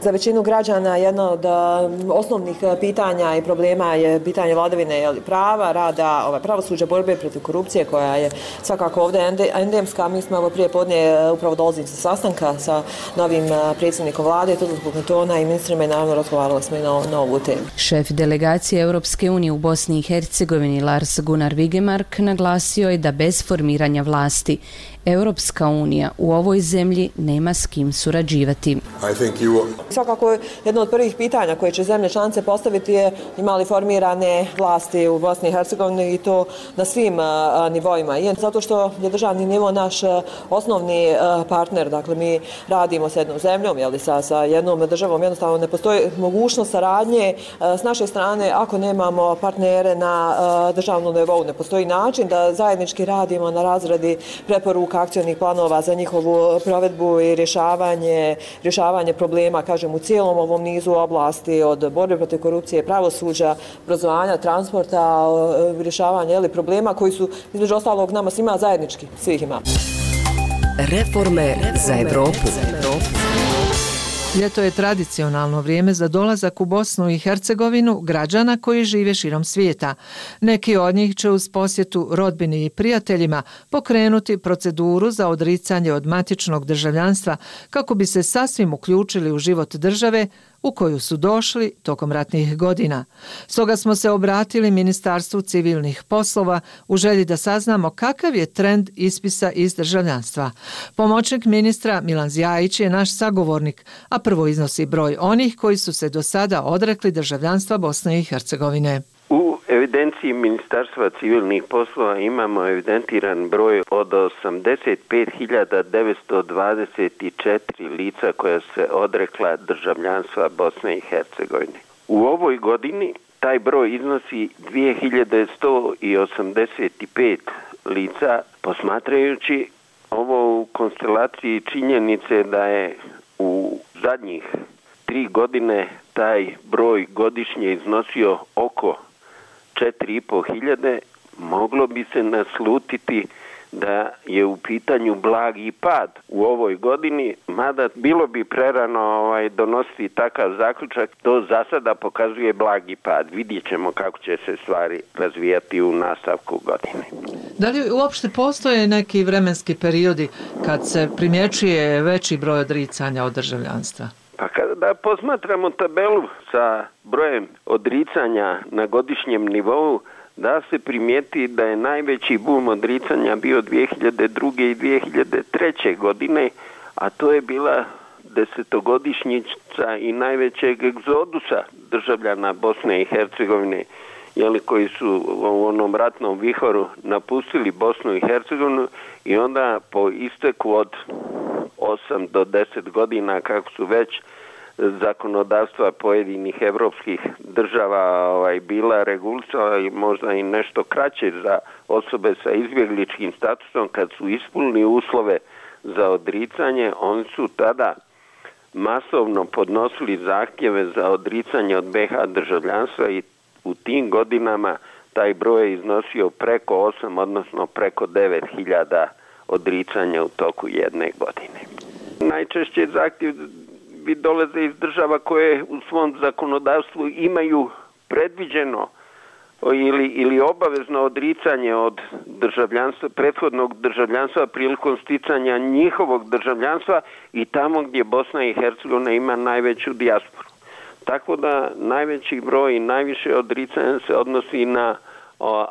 Za većinu građana jedno od osnovnih pitanja i problema je pitanje vladavine prava, rada, pravosuđa, borbe protiv korupcije koja je svakako ovdje endemska. Mi smo prije podne upravo dolazili sa sastanka sa novim predsjednikom vlade, Tuzlanskog kantona i ministrima i naravno razgovarali smo i na ovu temu. Šef delegacije Europske unije u Bosni i Hercegovini Lars Gunnar Vigemark naglasio je da bez formiranja vlasti Europska unija u ovoj zemlji nema s kim surađivati. Svakako jedno od prvih pitanja koje će zemlje članice postaviti je imali formirane vlasti u Bosni i Hercegovini i to na svim nivoima. I zato što je državni nivo naš osnovni partner, dakle mi radimo s jednom zemljom, sa jednom državom, jednostavno ne postoji mogućnost saradnje s naše strane ako nemamo partnere na državnom nivou. Ne postoji način da zajednički radimo na razradi preporuka, akcionih planova za njihovu provedbu i rješavanje problema, kažem, u cijelom ovom nizu oblasti, od borbe protiv korupcije, pravosuđa, obrazovanja, transporta, rješavanja problema koji su između ostalog nama svima zajednički, svih ima. Reforme za Evropu. Ljeto je tradicionalno vrijeme za dolazak u Bosnu i Hercegovinu građana koji žive širom svijeta. Neki od njih će uz posjetu rodbini i prijateljima pokrenuti proceduru za odricanje od matičnog državljanstva kako bi se sasvim uključili u život države u koju su došli tokom ratnih godina. Stoga smo se obratili Ministarstvu civilnih poslova u želji da saznamo kakav je trend ispisa iz državljanstva. Pomoćnik ministra Milan Zjajić je naš sagovornik, a prvo iznosi broj onih koji su se do sada odrekli državljanstva Bosne i Hercegovine. U evidenciji Ministarstva civilnih poslova imamo evidentiran broj od 85.924 lica koja se odrekla državljanstva Bosne i Hercegovine. U ovoj godini taj broj iznosi 2185 lica, posmatrajući ovo u konstelaciji činjenice da je u zadnjih 3 godine taj broj godišnje iznosio oko 4.500, moglo bi se naslutiti da je u pitanju blagi pad u ovoj godini, mada bilo bi prerano donositi takav zaključak, to za sada pokazuje blagi pad. Vidjet ćemo kako će se stvari razvijati u nastavku godine. Da li uopšte postoje neki vremenski periodi kad se primjećuje veći broj odricanja od državljanstva? Pa kada posmatramo tabelu sa brojem odricanja na godišnjem nivou, da se primijeti da je najveći bum odricanja bio 2002. i 2003. godine, a to je bila 10-godišnjica i najvećeg egzodusa državljana Bosne i Hercegovine, koji su u onom ratnom vihoru napustili Bosnu i Hercegovinu i onda po isteku od 8 do 10 godina, kako su već zakonodavstva pojedinih evropskih država bila regulisala i možda i nešto kraće za osobe sa izbjegličkim statusom, kad su ispunili uslove za odricanje, oni su tada masovno podnosili zahtjeve za odricanje od BiH državljanstva i u tim godinama taj broj je iznosio preko 8, odnosno preko 9.000 odricanja u toku jedne godine. Najčešće zahtjev dolaze iz država koje u svom zakonodavstvu imaju predviđeno ili obavezno odricanje od državljanstva, prethodnog državljanstva prilikom sticanja njihovog državljanstva i tamo gdje Bosna i Hercegovina ima najveću dijasporu. Tako da najveći broj i najviše odricanja se odnosi na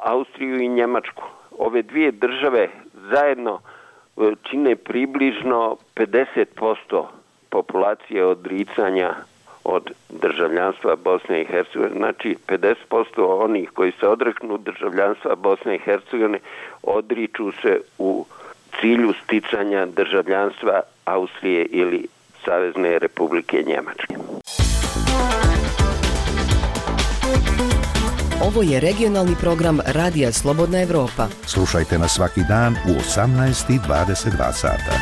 Austriju i Njemačku. Ove dvije države zajedno čine približno 50% populacije odricanja od državljanstva Bosne i Hercegovine. Znači 50% onih koji se odreknu državljanstva Bosne i Hercegovine odriču se u cilju sticanja državljanstva Austrije ili Savezne Republike Njemačke. Ovo je regionalni program Radija Slobodna Evropa. Slušajte nas svaki dan u 18:22 sata.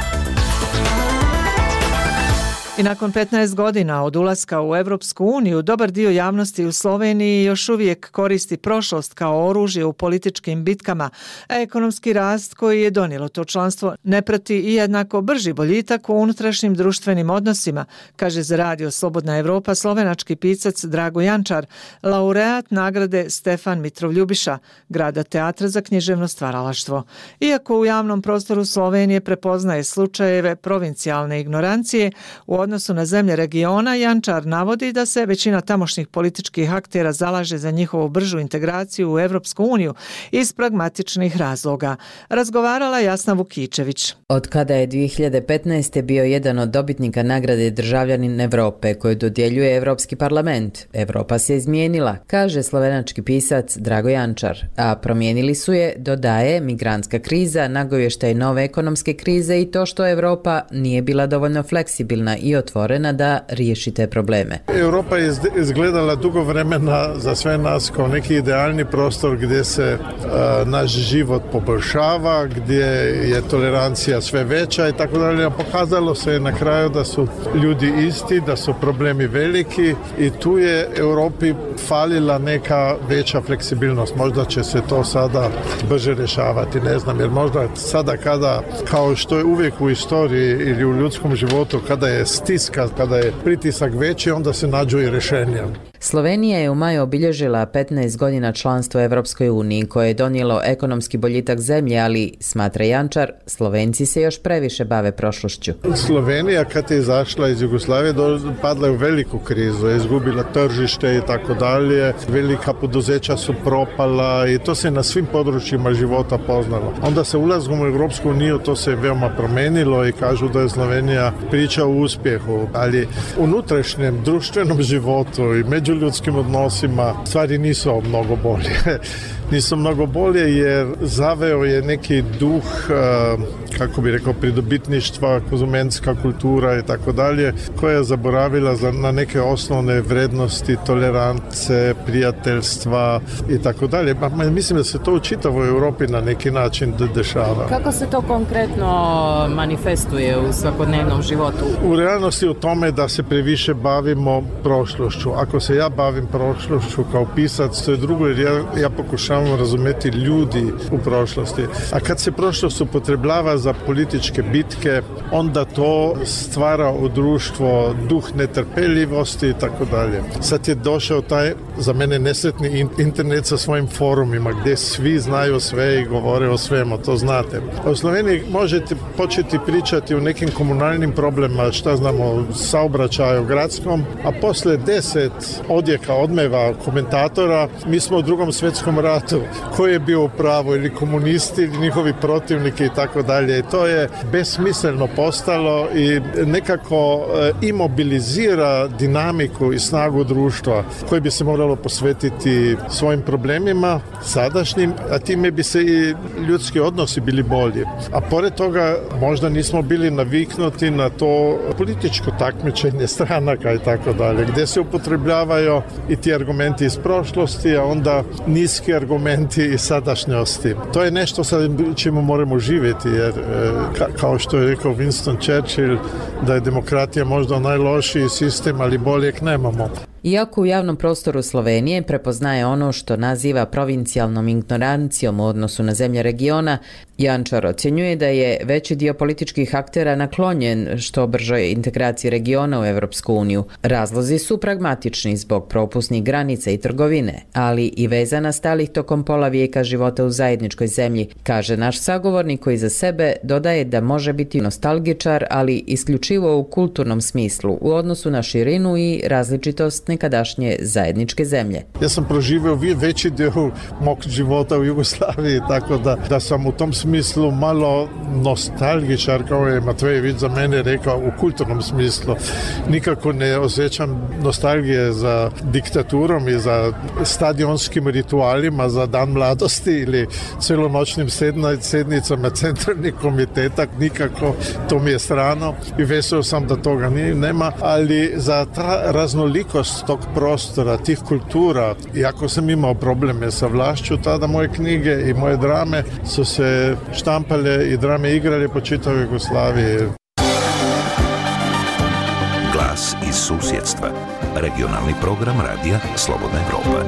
I nakon 15 godina od ulaska u Evropsku uniju, dobar dio javnosti u Sloveniji još uvijek koristi prošlost kao oružje u političkim bitkama, a ekonomski rast koji je donijelo to članstvo ne prati i jednako brži boljitak u unutrašnjim društvenim odnosima, kaže za Radio Slobodna Evropa slovenački pisac Drago Jančar, laureat nagrade Stefan Mitrov Ljubiša, grada teatra za književno stvaralaštvo. Iako u javnom prostoru Slovenije prepoznaje slučajeve provincijalne ignorancije, u odnosu na zemlje regiona, Jančar navodi da se većina tamošnjih političkih aktera zalaže za njihovu bržu integraciju u Evropsku uniju iz pragmatičnih razloga. Razgovarala Jasna Vukičević. Od kada je 2015. bio jedan od dobitnika nagrade Državljanin Evrope koju dodjeljuje Evropski parlament, Evropa se izmijenila, kaže slovenački pisac Drago Jančar, a promijenili su je, dodaje, migrantska kriza, nagovještaj nove ekonomske krize i to što Evropa nije bila dovoljno fleksibilna i otvorena da riješi te probleme. Europa je izgledala dugo vremena za sve nas kao neki idealni prostor gdje se naš život poboljšava, gdje je tolerancija sve veća i tako dalje. Pokazalo se na kraju da su ljudi isti, da su problemi veliki i tu je Europi falila neka veća fleksibilnost. Možda će se to sada brže rješavati, ne znam, jer možda sada kada, kao što je uvijek u istoriji ili u ljudskom životu, kada je stiska, kada je pritisak veći, onda se nađu i rješenja. Slovenija je u maju obilježila 15 godina članstva u Evropskoj uniji koje je donijelo ekonomski boljitak zemlje, ali, smatra Jančar, Slovenci se još previše bave prošlošću. Slovenija kad je izašla iz Jugoslavije padla je u veliku krizu, je izgubila tržište i tako dalje, velika poduzeća su propala i to se na svim područjima života poznalo. Onda se ulazom u Evropsku uniju to se veoma promenilo i kažu da je Slovenija priča o uspjehu, ali u unutrašnjem društvenom životu i međuljudskim odnosima stvari nisu mnogo bolje. Nisu mnogo bolje jer zaveo je neki duh, kako bi rekao, pridobitništva, konzumentska kultura i tako dalje, koja je zaboravila na neke osnovne vrednosti, tolerance, prijateljstva i tako dalje. Mislim da se to u čitavoj Europi na neki način dešava. Kako se to konkretno manifestuje u svakodnevnom životu? U realnosti u tome da se previše bavimo prošlošću. Ako se ja bavim prošlošću kao pisac, to je drugo jer ja pokušavam razumjeti ljudi u prošlosti. A kad se prošlost upotrebljava za političke bitke, onda to stvara u društvo duh netrpeljivosti i tako dalje. Sad je došao taj, za mene nesretni internet sa svojim forumima gdje svi znaju sve i govore o svemu, to znate. U Sloveniji možete početi pričati o nekim komunalnim problemima, šta znamo, o saobraćaju gradskom, a posle 10 odjeka odmeva komentatora, mi smo u Drugom svjetskom ratu, ko je bio u pravu, ili komunisti, ili njihovi protivniki i tako dalje. I to je besmisleno postalo i nekako imobilizira dinamiku i snagu društva koji bi se moralo posvetiti svojim problemima sadašnjim, a time bi se i ljudski odnosi bili bolji. A pored toga možda nismo bili naviknuti na to političko takmičenje stranaka i tako dalje, gdje se upotrebljavaju i ti argumenti iz prošlosti, a onda niski argumenti iz sadašnjosti. To je nešto sa čemu moramo živjeti, jer kao što je rekao Winston Churchill, da je demokratija možda najlošiji sistem, ali boljeg nemamo. Iako u javnom prostoru Slovenije prepoznaje ono što naziva provincijalnom ignorancijom u odnosu na zemlje regiona, Jančar ocjenjuje da je veći dio političkih aktera naklonjen što bržoj integraciji regiona u Evropsku uniju. Razlozi su pragmatični zbog propusnih granica i trgovine, ali i veza nastalih tokom pola vijeka života u zajedničkoj zemlji, kaže naš sagovornik koji za sebe dodaje da može biti nostalgičar, ali isključivo u kulturnom smislu, u odnosu na širinu i različitost nekadašnje zajedničke zemlje. Ja sam proživio veći dio mog života u Jugoslaviji, tako da sam u tom smislu malo nostalgičar, kao je Matvejević za mene rekao, u kulturnom smislu. Nikako ne osjećam nostalgije za diktaturom i za stadionskim ritualima, za Dan mladosti ili celonoćnim sednicama centralnih komiteta, nikako, to mi je strano i veseo sam da toga nema, ali za ta raznolikost tog prostora, tih kultura, i ako sam imao probleme sa vlašću, tada moje knjige i moje drame su se štampale i drame igrale po čitavoj Jugoslaviji. Glas iz susjedstva. Regionalni program radija Slobodna Evropa.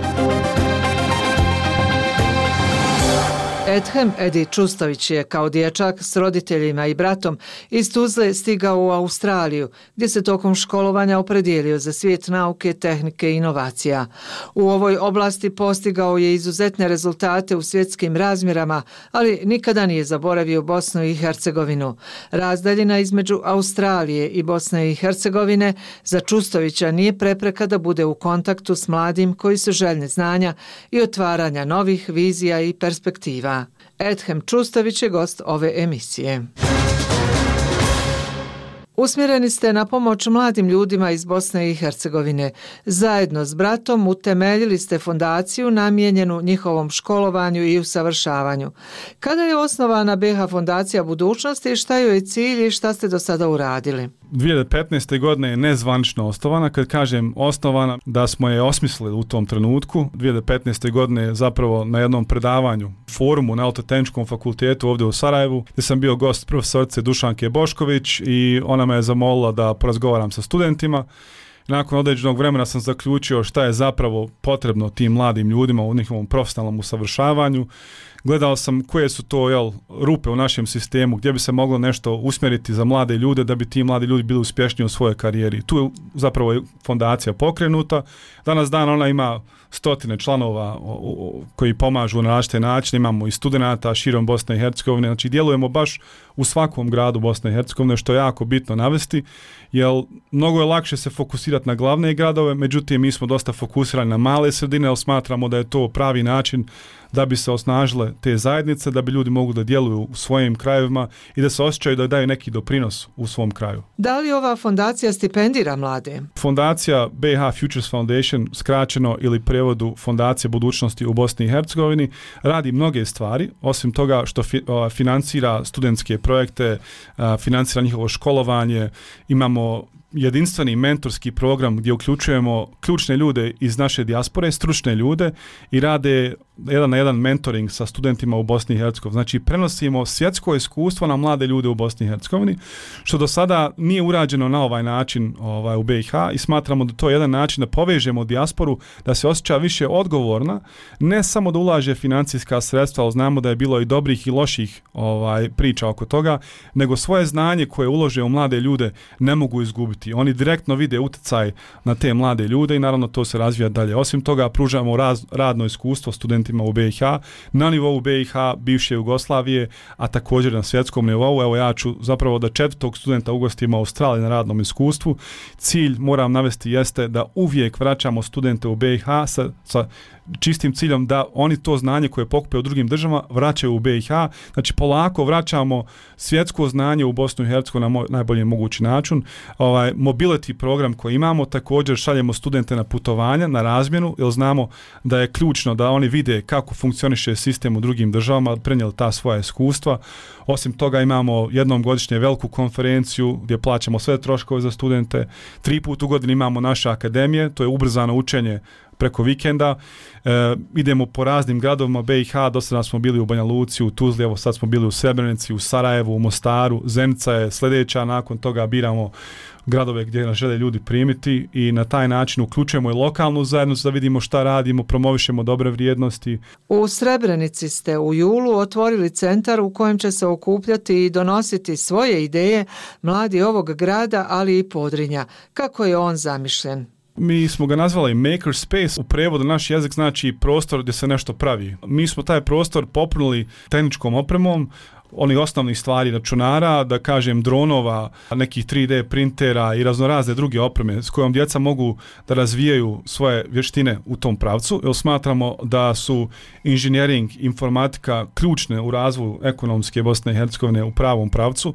Edhem Edi Čustović je kao dječak s roditeljima i bratom iz Tuzle stigao u Australiju, gdje se tokom školovanja opredijelio za svijet nauke, tehnike i inovacija. U ovoj oblasti postigao je izuzetne rezultate u svjetskim razmjerama, ali nikada nije zaboravio Bosnu i Hercegovinu. Razdaljina između Australije i Bosne i Hercegovine za Čustovića nije prepreka da bude u kontaktu s mladim koji su željni znanja i otvaranja novih vizija i perspektiva. Edhem Čustović je gost ove emisije. Usmjereni ste na pomoć mladim ljudima iz Bosne i Hercegovine. Zajedno s bratom utemeljili ste fondaciju namijenjenu njihovom školovanju i usavršavanju. Kada je osnovana BiH Fondacija budućnosti, šta joj je cilj i šta ste do sada uradili? 2015. godine je nezvanično osnovana. Kad kažem osnovana, da smo je osmislili u tom trenutku. 2015. godine je zapravo na jednom predavanju, forumu na Elektrotehničkom fakultetu ovdje u Sarajevu, gdje sam bio gost profesorice Dušanke Bošković i ona me je zamolila da porazgovaram sa studentima. Nakon određenog vremena sam zaključio šta je zapravo potrebno tim mladim ljudima u njihovom profesionalnom usavršavanju. Gledao sam koje su to rupe u našem sistemu gdje bi se moglo nešto usmjeriti za mlade ljude da bi ti mladi ljudi bili uspješniji u svojoj karijeri. Tu je zapravo fondacija pokrenuta. Danas dan ona ima stotine članova koji pomažu na različite načine. Imamo i studenata širom Bosne i Hercegovine. Znači djelujemo baš u svakom gradu Bosne i Hercegovine, što je jako bitno navesti, jer mnogo je lakše se fokusirati na glavne gradove, međutim mi smo dosta fokusirani na male sredine, jer smatramo da je to pravi način da bi se osnažile te zajednice, da bi ljudi mogli da djeluju u svojim krajevima i da se osjećaju da daju neki doprinos u svom kraju. Da li ova fondacija stipendira mlade? Fondacija BiH Futures Foundation, skraćeno ili prevodu Fondacije budućnosti u Bosni i Hercegovini, radi mnoge stvari, osim toga što financira studentske projekte, financira njihovo školovanje, imamo jedinstveni mentorski program gdje uključujemo ključne ljude iz naše dijaspore, stručne ljude i rade jedan na jedan mentoring sa studentima u Bosni i Hercegovini. Znači prenosimo svjetsko iskustvo na mlade ljude u Bosni i Hercegovini, što do sada nije urađeno na ovaj način u BiH i smatramo da to je jedan način da povežemo dijasporu, da se osjeća više odgovorna, ne samo da ulaže financijska sredstva, ali znamo da je bilo i dobrih i loših priča oko toga, nego svoje znanje koje ulože u mlade ljude ne mogu izgubiti. Oni direktno vide utjecaj na te mlade ljude i naravno to se razvija dalje. Osim toga pružamo radno iskustvo studentima u BiH, na nivou BiH, bivše Jugoslavije, a također na svjetskom nivou. Evo ja ću zapravo da 4. studenta ugostimo u Australiji na radnom iskustvu. Cilj, moram navesti, jeste da uvijek vraćamo studente u BiH sa čistim ciljom da oni to znanje koje pokupe u drugim državama vraćaju u BiH. Znači polako vraćamo svjetsko znanje u Bosnu i Hercegovinu na najbolji mogući način. Mobility program koji imamo, također šaljemo studente na putovanja, na razmjenu, jer znamo da je ključno da oni vide kako funkcioniše sistem u drugim državama, prenijeli ta svoja iskustva. Osim toga imamo jednom godišnje veliku konferenciju gdje plaćamo sve troškove za studente. 3 puta u godini imamo naše akademije, to je ubrzano učenje preko vikenda. Idemo po raznim gradovima BiH, do sada smo bili u Banja Luci, u Tuzli, evo sad smo bili u Srebrenici, u Sarajevu, u Mostaru, Zenica je sljedeća, nakon toga biramo gradove gdje nas žele ljudi primiti i na taj način uključujemo i lokalnu zajednicu da vidimo šta radimo, promovišemo dobre vrijednosti. U Srebrenici ste u julu otvorili centar u kojem će se okupljati i donositi svoje ideje mladi ovog grada, ali i Podrinja. Kako je on zamišljen? Mi smo ga nazvali Maker Space, u prevodu naš jezik znači prostor gdje se nešto pravi. Mi smo taj prostor popunili tehničkom opremom, onih osnovnih stvari računara, da kažem dronova, nekih 3D printera i raznorazne druge opreme s kojom djeca mogu da razvijaju svoje vještine u tom pravcu, jer smatramo da su inženjering, informatika ključne u razvoju ekonomske Bosne i Hercegovine u pravom pravcu,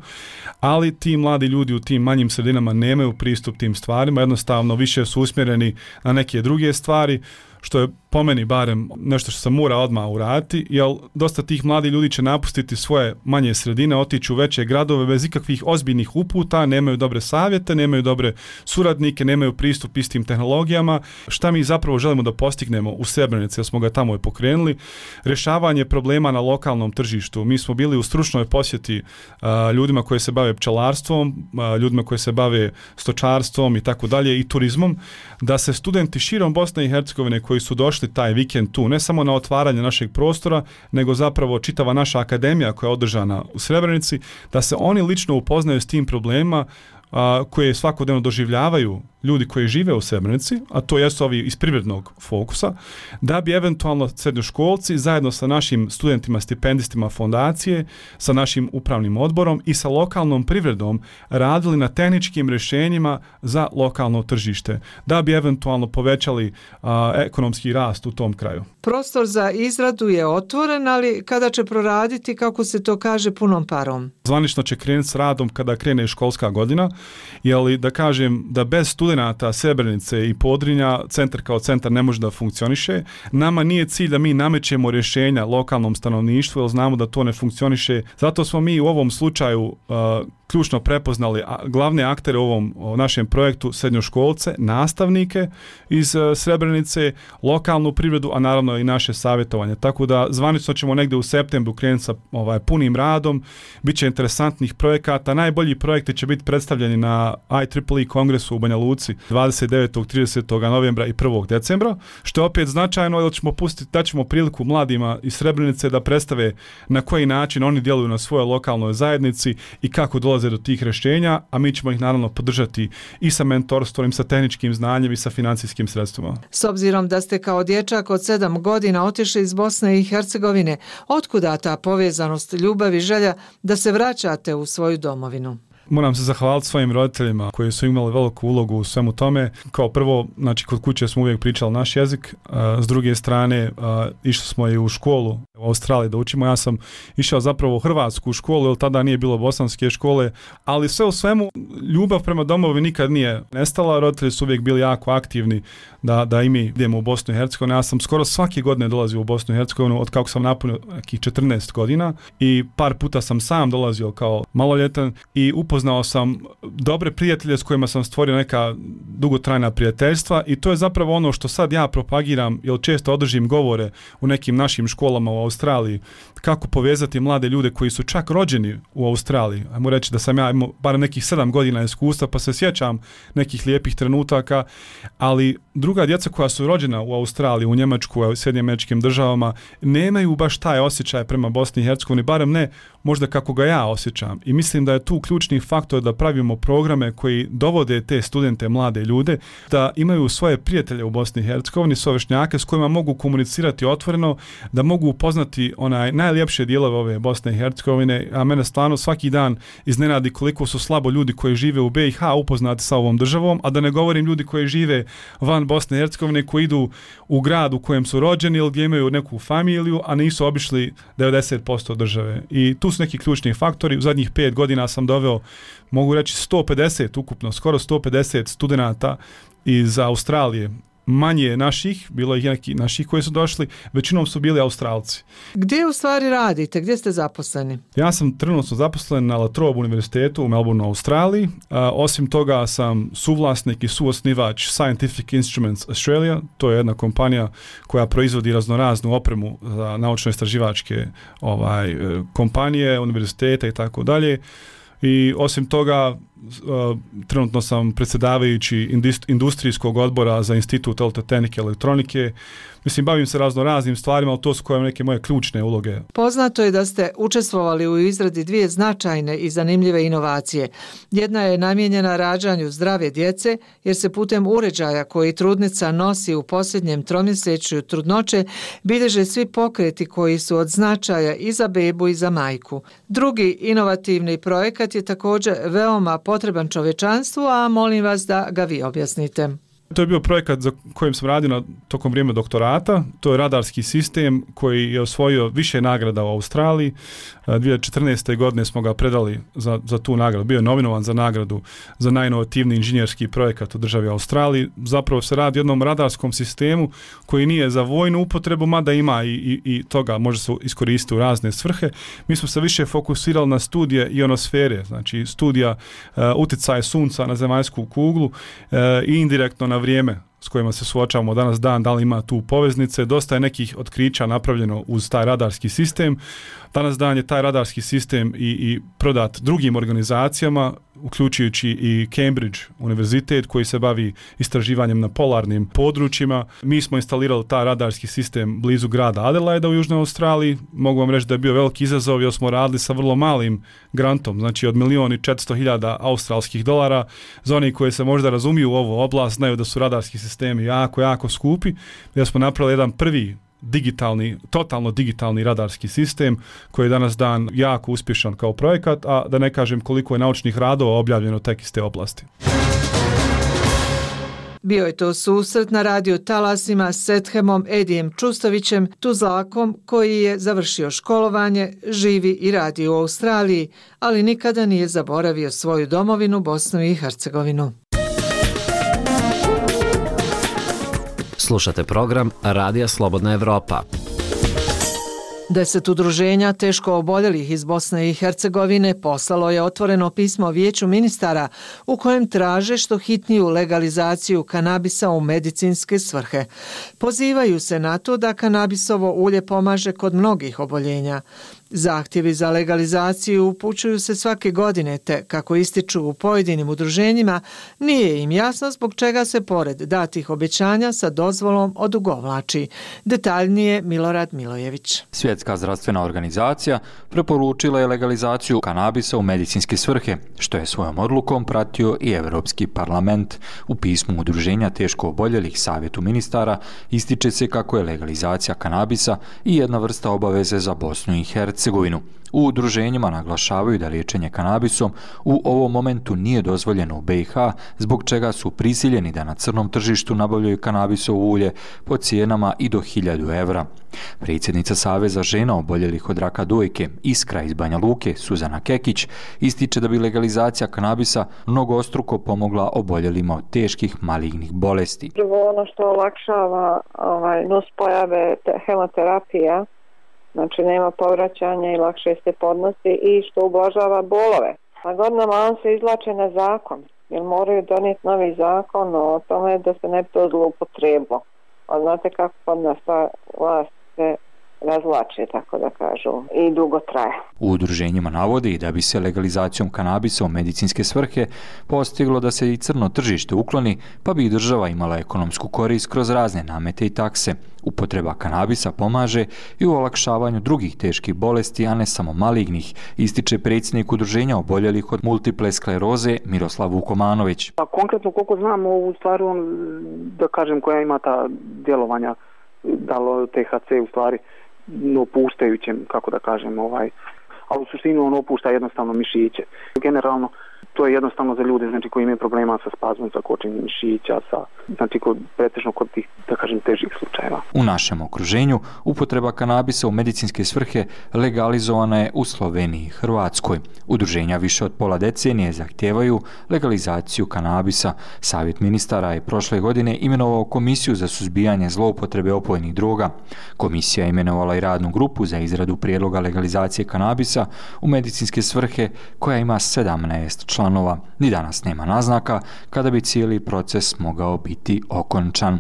ali ti mladi ljudi u tim manjim sredinama nemaju pristup tim stvarima, jednostavno više su usmjereni na neke druge stvari, što je po meni barem nešto što se mora odmah uraditi, jer dosta tih mladih ljudi će napustiti svoje manje sredine, otići u veće gradove bez ikakvih ozbiljnih uputa, nemaju dobre savjete, nemaju dobre suradnike, nemaju pristup istim tehnologijama. Šta mi zapravo želimo da postignemo u Srebrenici, jer smo ga tamo i pokrenuli? Rješavanje problema na lokalnom tržištu. Mi smo bili u stručnoj posjeti ljudima koji se bave pčelarstvom, ljudima koji se bave stočarstvom i tako dalje i turizmom, da se studenti širom Bosne i Hercegovine koji su došli taj vikend tu, ne samo na otvaranje našeg prostora, nego zapravo čitava naša akademija koja je održana u Srebrenici, da se oni lično upoznaju s tim problemima koje svakodnevno doživljavaju ljudi koji žive u Srebrenici, a to jesu ovi iz privrednog fokusa, da bi eventualno srednjoškolci zajedno sa našim studentima, stipendistima fondacije, sa našim upravnim odborom i sa lokalnom privredom radili na tehničkim rješenjima za lokalno tržište, da bi eventualno povećali ekonomski rast u tom kraju. Prostor za izradu je otvoren, ali kada će proraditi, kako se to kaže, punom parom? Zvanično će krenuti s radom kada krene školska godina, jer da kažem da bez studenata Srebrenice i Podrinja centar kao centar ne može da funkcioniše. Nama nije cilj da mi namećemo rješenja lokalnom stanovništvu, jer znamo da to ne funkcioniše. Zato smo mi u ovom slučaju ključno prepoznali glavne aktere u ovom našem projektu, srednjoškolce, nastavnike iz Srebrenice, lokalnu privredu, a naravno i naše savjetovanje. Tako da zvanično ćemo negdje u septembru krenuti sa punim radom, bit će interesantnih projekata. Najbolji projekti će biti predstavljeni na IEEE kongresu u Banja Luci 29. 30. novembra i 1. decembra, što je opet značajno jer ćemo daćemo priliku mladima iz Srebrenice da predstave na koji način oni djeluju na svojoj lokalnoj zajednici i kako dolaze do tih rješenja, a mi ćemo ih naravno podržati i sa mentorstvom, i sa tehničkim znanjem i sa financijskim sredstvima. S obzirom da ste kao dječak od 7 godina otišli iz Bosne i Hercegovine, otkuda ta povezanost, ljubav i želja da se vraćate u svoju domovinu? Moram se zahvaliti svojim roditeljima koji su imali veliku ulogu u svemu tome. Kao prvo, znači kod kuće smo uvijek pričali naš jezik, s druge strane išli smo i u školu u Australiji da učimo. Ja sam išao zapravo u hrvatsku školu, jer tada nije bilo bosanske škole, ali sve u svemu ljubav prema domovi nikad nije nestala. Roditelji su uvijek bili jako aktivni da i mi idemo u Bosnu i Hercegovinu. Ja sam skoro svake godine dolazio u Bosnu i Hercegovinu od kako sam napunio nekih 14 godina i par puta sam sam dolazio kao maloljetan i upoznao sam dobre prijatelje s kojima sam stvorio neka dugotrajna prijateljstva i to je zapravo ono što sad ja propagiram, jer često održim govore u nekim našim školama u Australiji, kako povezati mlade ljude koji su čak rođeni u Australiji. Ajmo reći da sam ja imao bar nekih 7 godina iskustva pa se sjećam nekih lijepih trenutaka, ali druga djeca koja su rođena u Australiji, u Njemačku, u Sjedinjenim Američkim Državama nemaju baš taj osjećaj prema Bosni i Hercegovini, barem ne možda kako ga ja osjećam. I mislim da je tu ključni faktor da pravimo programe koji dovode te studente, mlade ljude, da imaju svoje prijatelje u Bosni i Hercegovini, svoje vršnjake s kojima mogu komunicirati otvoreno, da mogu upoznati najljepše dijelove ove Bosne i Hercegovine, a mene stvarno svaki dan iznenadi koliko su slabo ljudi koji žive u BiH upoznati sa ovom državom, a da ne govorim ljudi koji žive van Bosne i Hercegovine, koji idu u grad u kojem su rođeni ili gdje imaju neku familiju, a nisu obišli 90% države. I tu su neki ključni faktori. U zadnjih 5 godina sam doveo, mogu reći 150 ukupno, skoro 150 studenata iz Australije. Manje naših, bilo je neki naših koji su došli, većinom su bili Australci. Gdje u stvari radite? Gdje ste zaposleni? Ja sam trenutno zaposlen na La Trobe univerzitetu u Melbourneu, Australiji. Osim toga sam suvlasnik i suosnivač Scientific Instruments Australia. To je jedna kompanija koja proizvodi raznoraznu opremu za naučno-istraživačke kompanije, univerzitete i tako dalje. I osim toga, trenutno sam predsjedavajući industrijskog odbora za Institut elektrotehnike i elektronike. Mislim, bavim se raznim stvarima, ali to su koje neke moje ključne uloge. Poznato je da ste učestvovali u izradi 2 značajne i zanimljive inovacije. Jedna je namijenjena rađanju zdrave djece, jer se putem uređaja koji trudnica nosi u posljednjem tromjesečju trudnoće bilježe svi pokreti koji su od značaja i za bebu i za majku. Drugi inovativni projekat je također veoma potreban čovječanstvu, a molim vas da ga vi objasnite. To je bio projekat za kojim sam radio tokom vrijeme doktorata. To je radarski sistem koji je osvojio više nagrada u Australiji. 2014. godine smo ga predali za tu nagradu. Bio je nominovan za nagradu za najinovativniji inženjerski projekat u državi Australiji. Zapravo se radi o jednom radarskom sistemu koji nije za vojnu upotrebu, mada ima i toga može se iskoristiti u razne svrhe. Mi smo se više fokusirali na studije ionosfere, znači studija utjecaja sunca na zemaljsku kuglu i indirektno na vrijeme s kojima se suočavamo danas dan, da li ima tu poveznice. Dosta je nekih otkrića napravljeno uz taj radarski sistem. Danas dan je taj radarski sistem i prodat drugim organizacijama, uključujući i Cambridge univerzitet koji se bavi istraživanjem na polarnim područjima. Mi smo instalirali taj radarski sistem blizu grada Adelaida u Južnoj Australiji. Mogu vam reći da je bio veliki izazov jer smo radili sa vrlo malim grantom, znači od $1.400.000 australskih dolara. Za oni koji se možda razumiju u ovu oblast znaju da su radarski sistemi jako skupi. Ja smo napravili jedan prvi totalno digitalni radarski sistem koji je danas dan jako uspješan kao projekat, a da ne kažem koliko je naučnih radova objavljeno tek iz te oblasti. Bio je to susret na radio talasima s Ethemom Edijem Čustovićem, Tuzlakom koji je završio školovanje, živi i radi u Australiji, ali nikada nije zaboravio svoju domovinu Bosnu i Hercegovinu. Slušate program Radija Slobodna Evropa. 10 udruženja teško oboljelih iz Bosne i Hercegovine poslalo je otvoreno pismo Vijeću ministara u kojem traže što hitniju legalizaciju kanabisa u medicinske svrhe. Pozivaju se na to da kanabisovo ulje pomaže kod mnogih oboljenja. Zahtjevi za legalizaciju upućuju se svake godine, te, kako ističu u pojedinim udruženjima, nije im jasno zbog čega se pored datih obećanja sa dozvolom odugovlači. Detaljnije Milorad Milojević. Svjetska zdravstvena organizacija preporučila je legalizaciju kanabisa u medicinske svrhe, što je svojom odlukom pratio i Europski parlament. U pismu udruženja teško oboljelih Savjetu ministara ističe se kako je legalizacija kanabisa i jedna vrsta obaveze za Bosnu i Hercegovinu. U udruženjima naglašavaju da liječenje kanabisom u ovom momentu nije dozvoljeno u BiH, zbog čega su prisiljeni da na crnom tržištu nabavljaju kanabisovo ulje po cijenama i do 1000 evra. Predsjednica Saveza žena oboljelih od raka dojke Iskra iz Banja Luke, Suzana Kekić, ističe da bi legalizacija kanabisa mnogostruko pomogla oboljelima od teških malignih bolesti. Ono što olakšava nuspojave hemoterapija, znači nema povraćanja i lakše se podnosi, i što ublažava bolove. Na godinama on se izvlače na zakon, jer moraju donijeti novi zakon o tome da se ne bi to zloupotrebilo. A znate kako kod nas ta vlast se razvlače, tako da kažu, i dugo traje. U udruženjima navodi da bi se legalizacijom kanabisa u medicinske svrhe postiglo da se i crno tržište ukloni, pa bi i država imala ekonomsku korist kroz razne namete i takse. Upotreba kanabisa pomaže i u olakšavanju drugih teških bolesti, a ne samo malignih, ističe predsjednik udruženja oboljelih od multiple skleroze Miroslav Vukomanović. A konkretno koliko znamo, u stvari da kažem koja ima ta djelovanja, da li THC u stvari opuštajućem, kako da kažem, a u suštini on opušta jednostavno mišiće. Generalno to je jednostavno za ljude, znači, koji imaju problema sa spazmom, sa kočenjem mišića, znači pretežno kod tih, da kažem, težih slučajeva. U našem okruženju upotreba kanabisa u medicinske svrhe legalizovana je u Sloveniji i Hrvatskoj. Udruženja više od pola decenije zahtijevaju legalizaciju kanabisa. Savjet ministara je prošle godine imenovao Komisiju za suzbijanje zloupotrebe opojnih droga. Komisija je imenovala i radnu grupu za izradu prijedloga legalizacije kanabisa u medicinske svrhe, koja ima 17 članova. Ni danas nema naznaka kada bi cijeli proces mogao biti okončan.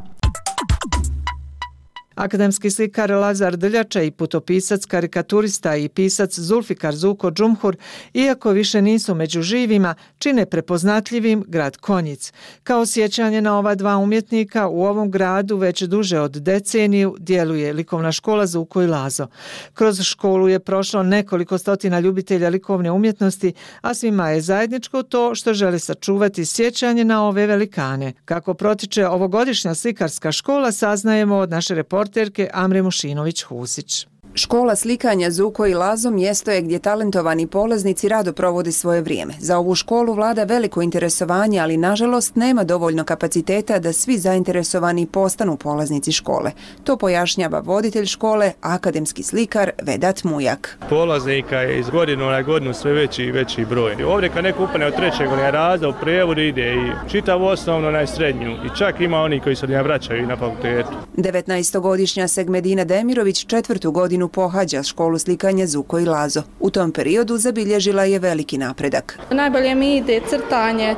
Akademski slikar Lazar Drljača i putopisac, karikaturista i pisac Zulfikar Zuko Džumhur, iako više nisu među živima, čine prepoznatljivim grad Konjic. Kao sjećanje na ova dva umjetnika, u ovom gradu već duže od deceniju djeluje likovna škola Zuko i Lazo. Kroz školu je prošlo nekoliko stotina ljubitelja likovne umjetnosti, a svima je zajedničko to što žele sačuvati sjećanje na ove velikane. Kako protiče ovogodišnja slikarska škola, saznajemo od naše reporterke Amre Mušinović-Husić. Škola slikanja Zuko i Lazo mjesto je gdje talentovani polaznici rado provode svoje vrijeme. Za ovu školu vlada veliko interesovanje, ali nažalost nema dovoljno kapaciteta da svi zainteresovani postanu polaznici škole. To pojašnjava voditelj škole, akademski slikar Vedat Mujak. Polaznika je iz godine na godinu sve veći i veći broj. Ovdje kad neko upane od 3. razreda u prijevod ide i čitavu osnovno na srednju, i čak ima oni koji se ne vraćaju na fakultetu. 19-godišnja Segmedina Demirović 4. godinu pohađa školu slikanja Zuko i Lazo. U tom periodu zabilježila je veliki napredak. Najbolje mi ide crtanje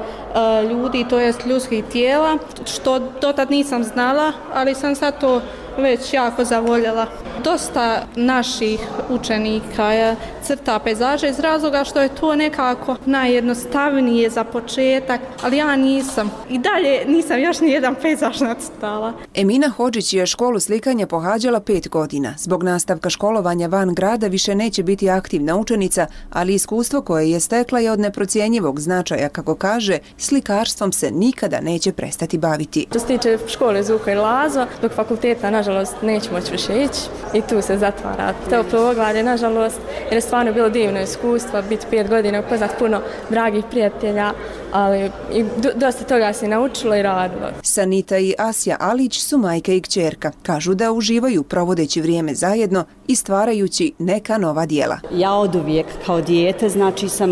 ljudi, to jest ljudskih tijela, što dotad nisam znala, ali sam sad to već jako zavoljela. Dosta naših učenika crta pejzaže iz razloga što je to nekako najjednostavnije za početak, ali ja nisam. I dalje nisam još nijedan pejzaž nacrtala. Emina Hodžić je školu slikanja pohađala 5 godina. Zbog nastavka školovanja van grada više neće biti aktivna učenica, ali iskustvo koje je stekla je od neprocjenjivog značaja, kako kaže, slikarstvom se nikada neće prestati baviti. Što se tiče škole Zuko i Lazo, dok fakulteta nažalost neće moći više ići i tu se zatvara to poglavlje, nažalost, jer je stvarno bilo divno iskustvo, biti 5 godina, upoznat puno dragih prijatelja, ali i dosta toga se naučilo i radilo. Sanita i Asja Alić su majka i kćerka. Kažu da uživaju provodeći vrijeme zajedno i stvarajući neka nova djela. Ja oduvijek kao dijete, znači sam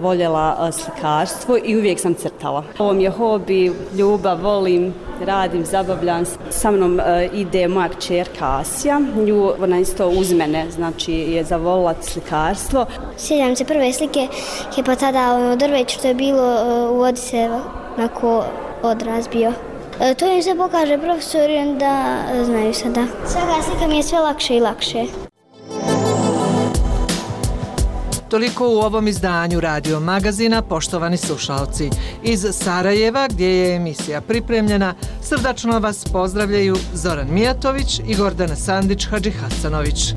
voljela slikarstvo i uvijek sam crtala. Ovo mi je hobi, ljubav, volim radim, zabavljam se. Sa mnom ide moja kćerka Asija, ona isto uz mene, znači je zavolila slikarstvo. Sjećam se prve slike, je pa tada drveće što je bilo u vodi se onako odraz bio. To im se pokaže profesor i onda znaju sada. Svaka slika mi je sve lakše i lakše. Toliko u ovom izdanju Radio Magazina, poštovani slušalci. Iz Sarajeva, gdje je emisija pripremljena, srdačno vas pozdravljaju Zoran Mijatović i Gordana Sandić-Hadžihasanović.